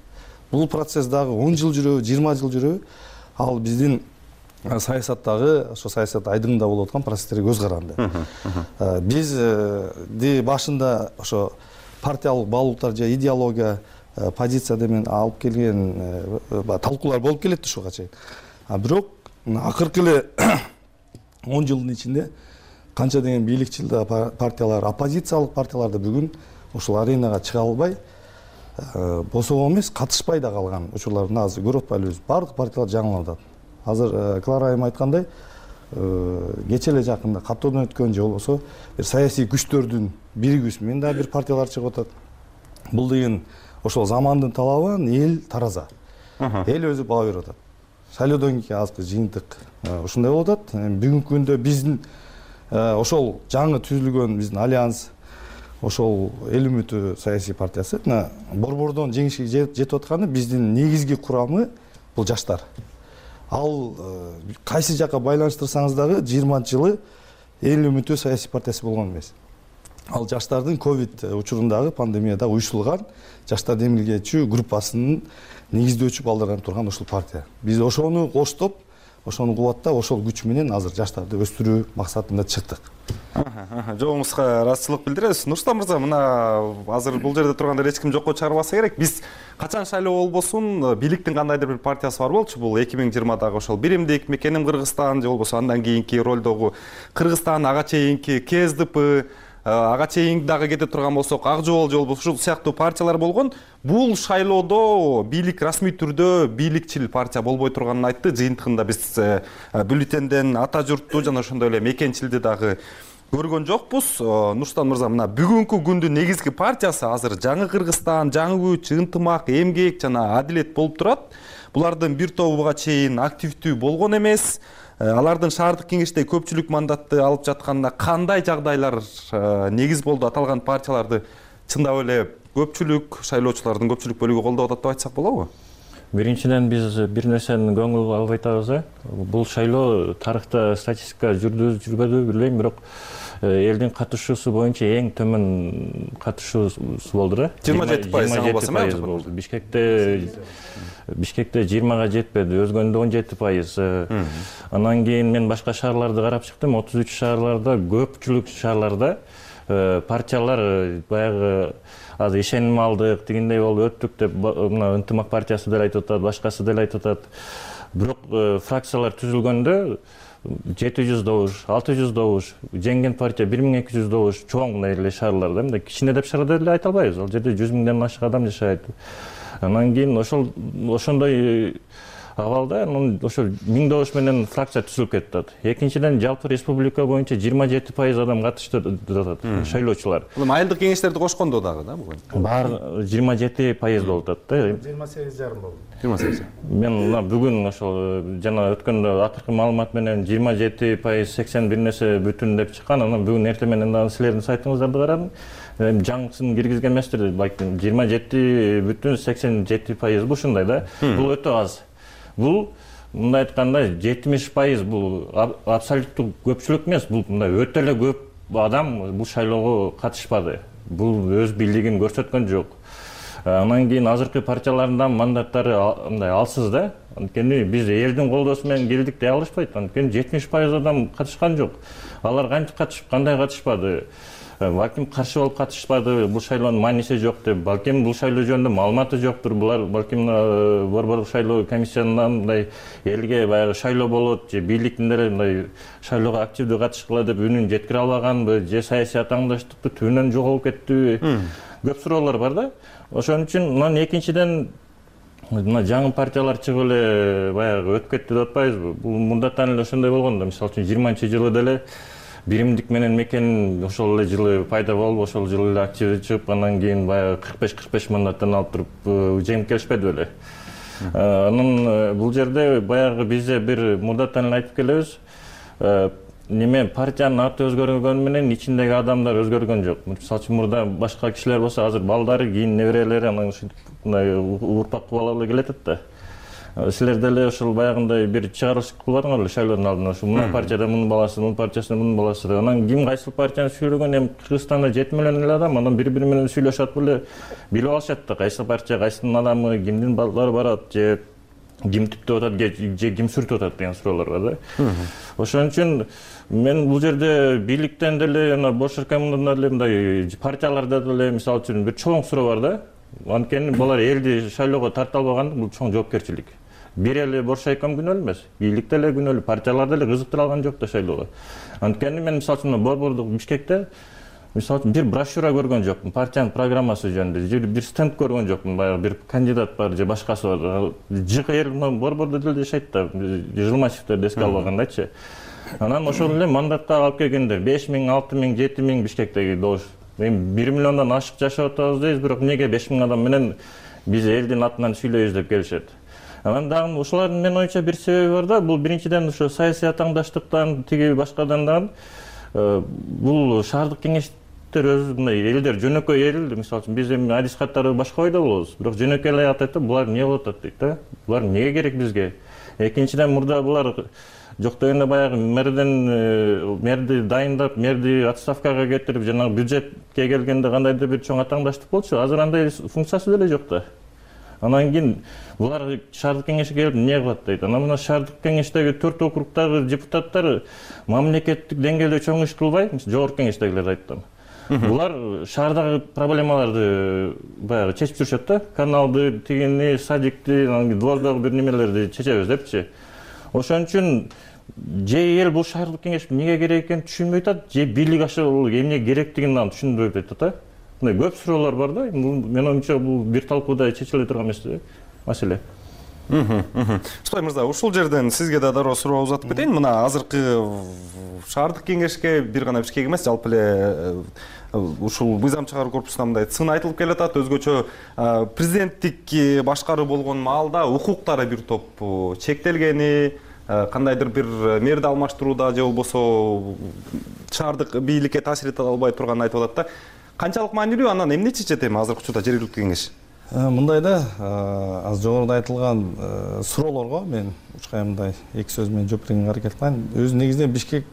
Бул процесс дагы 10 жыл жүрөбү, 20 жыл жүрөбү. Ал биздин саясаттагы ошо саясат айдыңында болуп аткан процесстерге көз каранды. Бизди башында ошо партиялык баалуулуктар же идеология, позиция менен алып келген талкуулар болуп келет ушуга чейин. Бирок акыркы эле 10 жылдын ичинде канча деген бийликчил партиялар, оппозициялык партиялар да бүгүн ушул аренага чыга албай, босого эмес, катышпай да калган учурларды азыр көрүп атпайлыбыз. Бардык партиялар жаңылып атат. Азыр Клара айым айткандай, кече эле жакында каттоодон өткөн же болбосо бир саясий күчтөрдүн биригүүсү менен да бир партиялар чыгып атат. Бул деген ошол замандын талабы, эл тараза. Эл өзү баа берип атат. Шайлоодон кийин азыркы жыйынтык ушундай болуп атат. Бүгүнкү күндө биздин ошол жаңы түзүлгөн биздин альянс, ошол эл үмүтү саясий партиясы борбордон жеңишке жетип атканы биздин негизги курамы бул жаштар. Ал кайсы жакка байланыштырсаңыз дагы 20-жылы эл үмүтү саясий партиясы болгон эмес. Ал жаштардын ковид учурундагы пандемияда уюштурулган жаштарды эмгилгечүү группасынын негиздөөчү балдарынан турган ушул партия. Биз ошону коштоп, ошону кубаттап ошол күч менен азыр жаштарды өстүрүү максатында чыктык. Жообуңузга ыраазычылык билдиребиз. Нурсултан мырза, мына азыр бул жерде турганда эч ким жокко чыгарбаса керек. Биз качан шайлоо болбосун, бийликтин кандайдыр бир партиясы бар болчу. Бул 2020-дагы ошол биримдик, мекеним Кыргызстан же болбосо андан кийинки ролдогу Кыргызстан, ага чейинки КСДП, ага чейин дагы кете турган болсок Ак Жол же болбосо ушул сыяктуу партиялар болгон. Бул шайлоодо бийлик расмий түрдө бийликчил партия болбой турганын айтты. Жыйынтыгында биз бюллетенден ата журтту жана ошондой эле мекенчилди дагы көргөн жокпуз. Нурсултан мырза, мына бүгүнкү күндүн негизги партиясы азыр Жаңы Кыргызстан, Жаңы Күч, Ынтымак, Эмгек жана Адилет болуп турат. Булардын бир тобу буга чейин активдүү болгон эмес. Алардын шаардык кеңеште көпчүлүк мандатты алып жатканына кандай жагдайлар негиз болду? Аталган партияларды чындап эле көпчүлүк шайлоочулардын көпчүлүк бөлүгү колдоп атат деп айтсак болобу? Биринчиден биз бир нерсени көңүл алып айтабыз. Бул шайлоо тарыхта статистика жүрбөдү билбейм, бирок элдин катышуусу боюнча эң төмөн катышуусу болду да. 27% болду. Бишкекте 20-га жетпеди, өзгөндө 17%. Андан кийин мен башка шаарларды карап чыктым. 33 шаарларда, көпчүлүк шаарларда партиялар баягы азыр ишеним алдык, дегендей болуп өттүк деп мына Ынтымак партиясы деле айтып атат, башкасы деле айтып атат. Бирок фракциялар түзүлгөндө 700 добуш, 600 добуш, жеңген партия 1200 добуш, чоң мындай эле шаарларда, мындай кичине деп шаарда деле айта албайбыз. Ал жерде 100 миңден ашык адам жашайт. Анан кийин ошондой абалда ошол 1000 добуш менен фракция түзүлүп кетет. Экинчиден, жалпы республика боюнча 27% адам катышты атат, шайлоочулар. Бул айылдык кеңештерди кошкондо дагы да буга? Бар 27% болуп атат да. 28,5 болду. 28. Мен мына бүгүн ошол жана өткөндө акыркы маалымат менен 27% 80 бир нерсе бүтүн деп чыккан. Анан бүгүн эртең менен дагы силердин сайтыңыздарды карадым. Жаңысын киргизген эместир, балким 27,87% ушундай да. Бул өтө аз. Бул мындай айтканда 70% бул абсолюттук көпчүлүк эмес, бул мындай өтө эле көп адам бул шайлоого катышпады. Бул өз бийлигин көрсөткөн жок. Анан кийин азыркы партиялардын мандаттары мындай алсыз да. Анткени биз элдин колдоосу менен келдик дей алышпайт. Анткени 70% адам катышкан жок. Алар кантип катышып, кандай катышпады? Балким каршы болуп катышпады, бул шайлоонун мааниси жок деп, балким бул шайлоо жөнүндө маалыматы жоктур. Булар балким борбордук шайлоо комиссиянынан мындай элге баягы шайлоо болот же бийликтин деле мындай шайлоого активдүү катышкыла деп үнүн жеткире албаганбы, же саясий атааңдаштыкты түбүнөн жоголуп кеттиби? Көп суроолор бар да. Ошон үчүн мына экинчиден мына жаңы партиялар чыгып эле баягы өтүп кетти деп атпайбызбы? Бул мурдатан эле ошондой болгон да. Мисалы үчүн 20-жылы деле биримдик менен мекен ошол эле жылы пайда болуп, ошол жылы эле активдүү чыгып, андан кийин баягы 45 мандаттан алып туруп жеңип келишпеди беле. Анан бул жерде баягы бизде бир мурдатан эле айтып келебиз. Неме партиянын аты өзгөргөнү менен ичиндеги адамдар өзгөргөн жок. Мисалы үчүн мурда башка кишилер болсо азыр балдары, кийин неберелери анан ушинтип мындай урпак кубалап эле келатат да. Силер деле ошол баягындай бир чыгарылыш кылбадыңар эле шайлоонун алдынан. Ошо мына партияда мунун баласы, мунун партиясында мунун баласы. Анан ким кайсыл партияны сүйлөгөн, эми Кыргызстанда 7 миллион эле адам, анан бири-бири менен сүйлөшөт беле, билип алышат да, кайсы партия, кайсынын адамы, кимдин балдары барат, же ким түптөп атат, же ким сүртүп атат деген суроолор бар да. Ошон үчүн мен бул жерде бийликтен деле, бош ркомундан деле, мындай партияларда деле мисалы үчүн бир чоң суроо бар да. Анткени булар элди шайлоого тарта албаган, бул чоң жоопкерчилик. Бир эле бош райком күнөөлүү эмес, бийлик деле күнөөлүү, партиялар деле кызыктыра алган жок да шайлоого. Анткени мен мисалы үчүн борбордук Бишкекте мисалы үчүн бир брошюра көргөн жокмун, партиянын программасы жөнүндө, же бир стенд көргөн жокмун, баягы бир кандидат бар же башкасы бар. Жык эл борбордо деле жашайт да, Жылмачевтерди эске албагандачы. Анан ошол эле мандатка алып келгендер 5000, 6000, 7000 Бишкектеги добуш. Эми 1 миллиондон ашык жашап атабыз дейбиз, бирок эмнеге 5000 адам менен биз элдин атынан сүйлөйбүз деп келишет. Анан дагы ушулардын менин оюмча бир себеби бар да, бул биринчиден ошо саясий атааңдаштыктан, тиги башкадан дагы бул шаардык кеңештер өзү мындай элдер жөнөкөй эл, мисалы үчүн биз эми адис каттарды башка ойдо болобуз, бирок жөнөкөй эле атат да, булар эмне болуп атат дейт да, булар эмнеге керек бизге? Экинчиден мурда булар жок дегенде баягы мэрди дайындап, мэрди отставкага кетирип, жанагы бюджетке келгенде кандайдыр бир чоң атааңдаштык болчу, азыр андай функциясы деле жок да. Анан кийин булар шаардык кеңешке келип эмне кылат дейт. Анан мына шаардык кеңештеги 4 округдагы депутаттар мамлекеттик деңгээлде чоң иш кылбай, жогорку кеңештегилер айттым. Булар шаардагы проблемаларды баягы чечип жүрүшөт да. Каналды, тигини, садикти, двордогу бир немелерди чечебиз депчи. Ошон үчүн же эл бул шаардык кеңеш эмнеге керек экенин түшүнбөй атат, же бийлик ошол эмне керектигин түшүндүрбөй атат. Мындай көп суроолор бар да. Менин оюмча бул бир талкууда чечиле турган эмес маселе. Супай мырза, ушул жерден сизге да дароо суроо узатып кетейин. Мына азыркы шаардык кеңешке бир гана бишкек эмес, жалпы эле ушул мыйзам чыгаруу корпусуна мындай сын айтылып келатат. Өзгөчө президенттик башкаруу болгон маалда укуктары бир топ чектелгени, кандайдыр бир мэрди алмаштырууда же болбосо шаардык бийликке таасир эте албай турганын айтып атат да. Канчалык маанилүү, анан эмне чечет эми азыркы учурда жергиликтүү кеңеш? Мындай да, аз жогоруда айтылган суроолорго мен учкай мындай эки сөз менен жооп бергенге аракет кылайын. Өзү негизинен Бишкек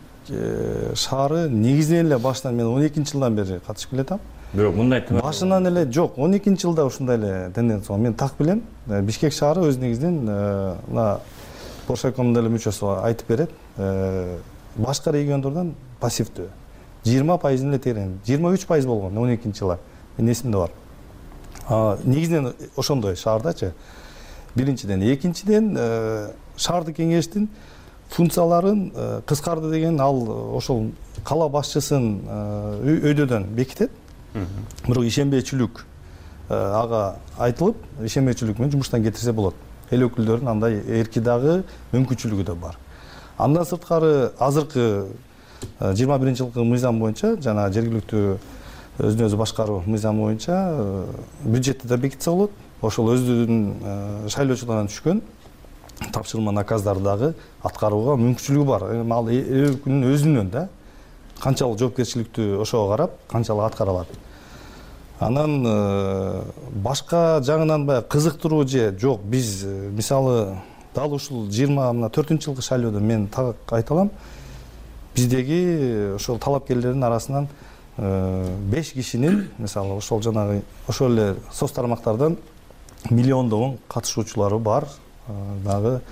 шаары негизинен эле башынан мен 12-жылдан бери катышып келатам. Бирок мындай башынан эле жок, 12-жылда ушундай эле тенденция. Мен так билем. Бишкек шаары өз негизинен мына Боршайкомдун деле мүчөсү айтып берет. Башка региондордон пассивдүү. 20% эле терен. 23% болгон 12-жылы. Мен эсимде бар. Негизинен ошондой шаардачы. Биринчиден, экинчиден шаардык кеңештин функцияларын кыскарды деген ал ошол кала башчысын өйдөдөн бекитет. Бирок ишенбейчүлүк ага айтылып, ишенбейчүлүк менен жумуштан кетирсе болот. Эл өкүлдөрүнүн андай эрки дагы мүмкүнчүлүгү да бар. Андан сырткары азыркы 21-жылкы мыйзам боюнча жана жергиликтүү өзүн өзү башкаруу мыйзамы боюнча бюджетти да бекитсе болот. Ошол өздүнүн шайлоочулардан түшкөн тапшырма наказдарды дагы аткарууга мүмкүнчүлүгү бар. Ал эл өкүлүнүн өзүнөн да канчалык жоопкерчиликтүү ошого карап, канчалык аткара алат. Анан башка жагынан баягы кызыктыруу же жок, биз мисалы дал ушул 24-жылкы шайлоодо мен так айта алам. Биздеги ошол талапкерлердин арасынан 5 кишинин мисалы ошол жанагы ошол эле соц тармактардан миллиондогон катышуучулары бар. Дагы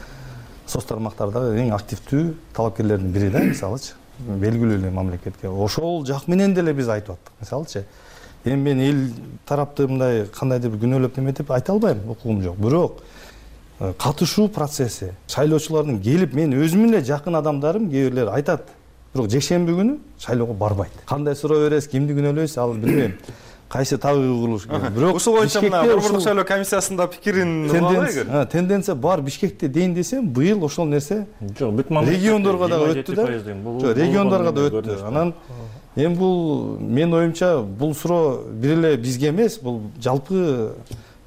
соц тармактардагы эң активдүү талапкерлердин бири да, мисалычы. Белгилүү эле мамлекетке. Ошол жак менен деле биз айтып аттык, мисалычы. Эми мен эл тарапты мындай кандайдыр бир күнөөлөп неметип айта албайм, укугум жок. Бирок катышуу процесси, шайлоочулардын келип мен өзүмүн эле жакын адамдарым кээ бирлер айтат. Бирок жекшемби күнү шайлоого барбайт. Кандай суроо бересиз, кимди күнөөлөйсүз, ал билбейм. Кайсы табыгы курулуш керек. Бирок ушул боюнча мына борбордук шайлоо комиссиясында пикирин албайбы? Тенденция бар. Бишкекте дейин десем, быйыл ошол нерсе жок, бүт мамлекетте региондорго да өттү да. Жок, региондорго да өттү. Анан эми бул менин оюмча бул суроо бир эле бизге эмес, бул жалпы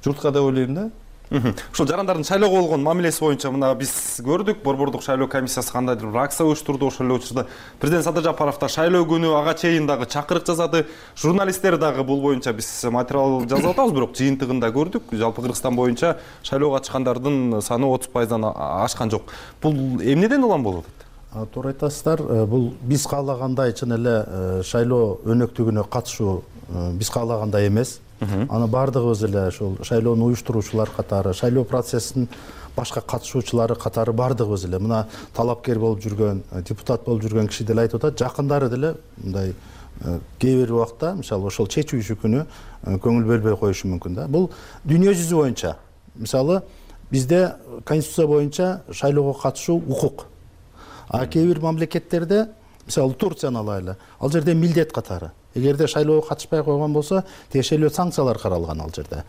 журтка деп ойлойм да. Ушул жарандардын шайлоого болгон мамилеси боюнча мына биз көрдүк, борбордук шайлоо комиссиясы кандайдыр бир акция уюштурду. Ошол эле учурда президент Садыр Жапаров да шайлоо күнү ага чейин дагы чакырык жасады. Журналисттер дагы бул боюнча биз материал жазып атабыз, бирок жыйынтыгында көрдүк. Жалпы Кыргызстан боюнча шайлоого чыккандардын саны 30%дан ашкан жок. Бул эмнеден улам болуп атат? Туура айтасыздар. Бул биз каалагандай чын эле шайлоо өнөктүгүнө катышуу биз каалагандай эмес. Аны бардыгыбыз эле ошол шайлоону уюштуруучулар катары, шайлоо процессинин башка катышуучулары катары бардыгыбыз эле мына талапкер болуп жүргөн, депутат болуп жүргөн киши деле айтып атат, жакындары деле мындай кээ бир убакта мисалы ошол чечүүчү күнү көңүл бөлбөй коюшу мүмкүн да. Бул дүйнө жүзү боюнча мисалы бизде конституция боюнча шайлоого катышуу укук. А кээ бир мамлекеттерде мисалы Турцияны алайлы, ал жерде милдет катары. Эгерде шайлоого катышпай койгон болсо, тиешелүү санкциялар каралган ал жерде.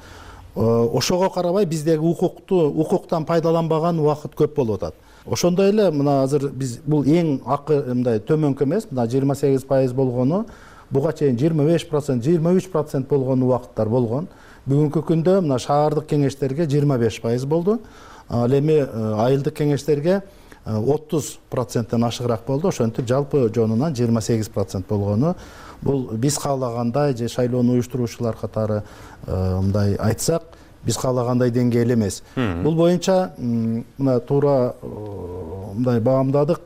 Ошого карабай биздеги укуктан пайдаланбаган убакыт көп болуп атат. Ошондой эле мына азыр биз бул эң акы мындай төмөнкү эмес, мына 28% болгону, буга чейин 25%, 23% болгон убакыттар болгон. Бүгүнкү күндө мына шаардык кеңештерге 25% болду. Ал эми айылдык кеңештерге 30%тен ашыгыраак болду. Ошентип жалпы жонунан 28% болгону. Бул биз каалагандай же шайлоону уюштуруучулар катары мындай айтсак, биз каалагандай деңгээл эмес. Бул боюнча мына туура мындай баамдадык.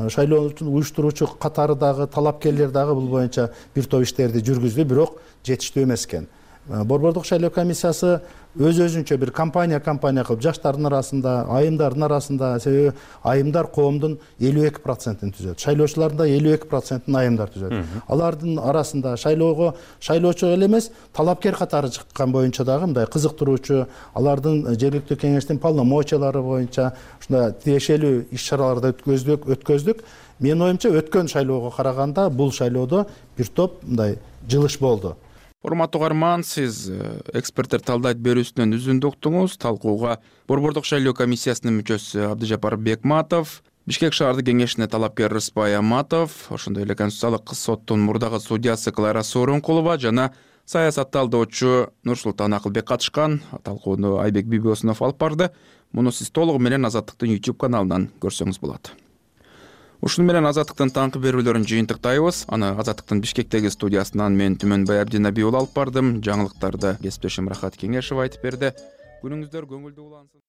Шайлоону уюштуруучу катары дагы талапкерлер дагы бул боюнча бир топ иштерди жүргүздү, бирок жетиштүү эмес экен. Борбордук шайлоо комиссиясы өзүнчө бир компания кылып жаштардын арасында, айымдардын арасында, себеби айымдар коомдун 52%-ин түзөт. Шайлоочулардын да 52%-ин айымдар түзөт. Алардын арасында шайлоочу эле эмес, талапкер катары чыккан боюнча дагы мындай кызыктыруучу, алардын жергиликтүү кеңештин полномочиялары боюнча ушундай тиешелүү иш-чараларды өткөздүк. Менин оюмча өткөн шайлоого караганда бул шайлоодо бир топ мындай жылыш болду. Урматтуу угарман, сиз эксперттер талдайт берүүсүнөн үзүндү уктуңуз. Талкууга Борбордук шайлоо комиссиясынын мүчөсү Абдыжапар Бекматов, Бишкек шаардык кеңешине талапкер Рыспай Аматов, ошондой эле Конституциялык соттун мурдагы судьясы Клара Сооронкулова жана саясат талдоочу Нурсултан Акылбек катышкан. Талкууну Айбек Бибосунов алып барды. Муну сиз толугу менен Азаттыктын YouTube каналынан көрсөңүз болот. Ушуну менен Азаттыктын таңкы берүүлөрүн жыйынтыктайбыз. Аны Азаттыктын Бишкектеги студиясынан мен Түмөнбай Абдинаби уулу алып бардым. Жаңылыктарды кесиптешим Рахат Кеңешев айтып берди. Күнүңүздөр көңүлдүү улансын.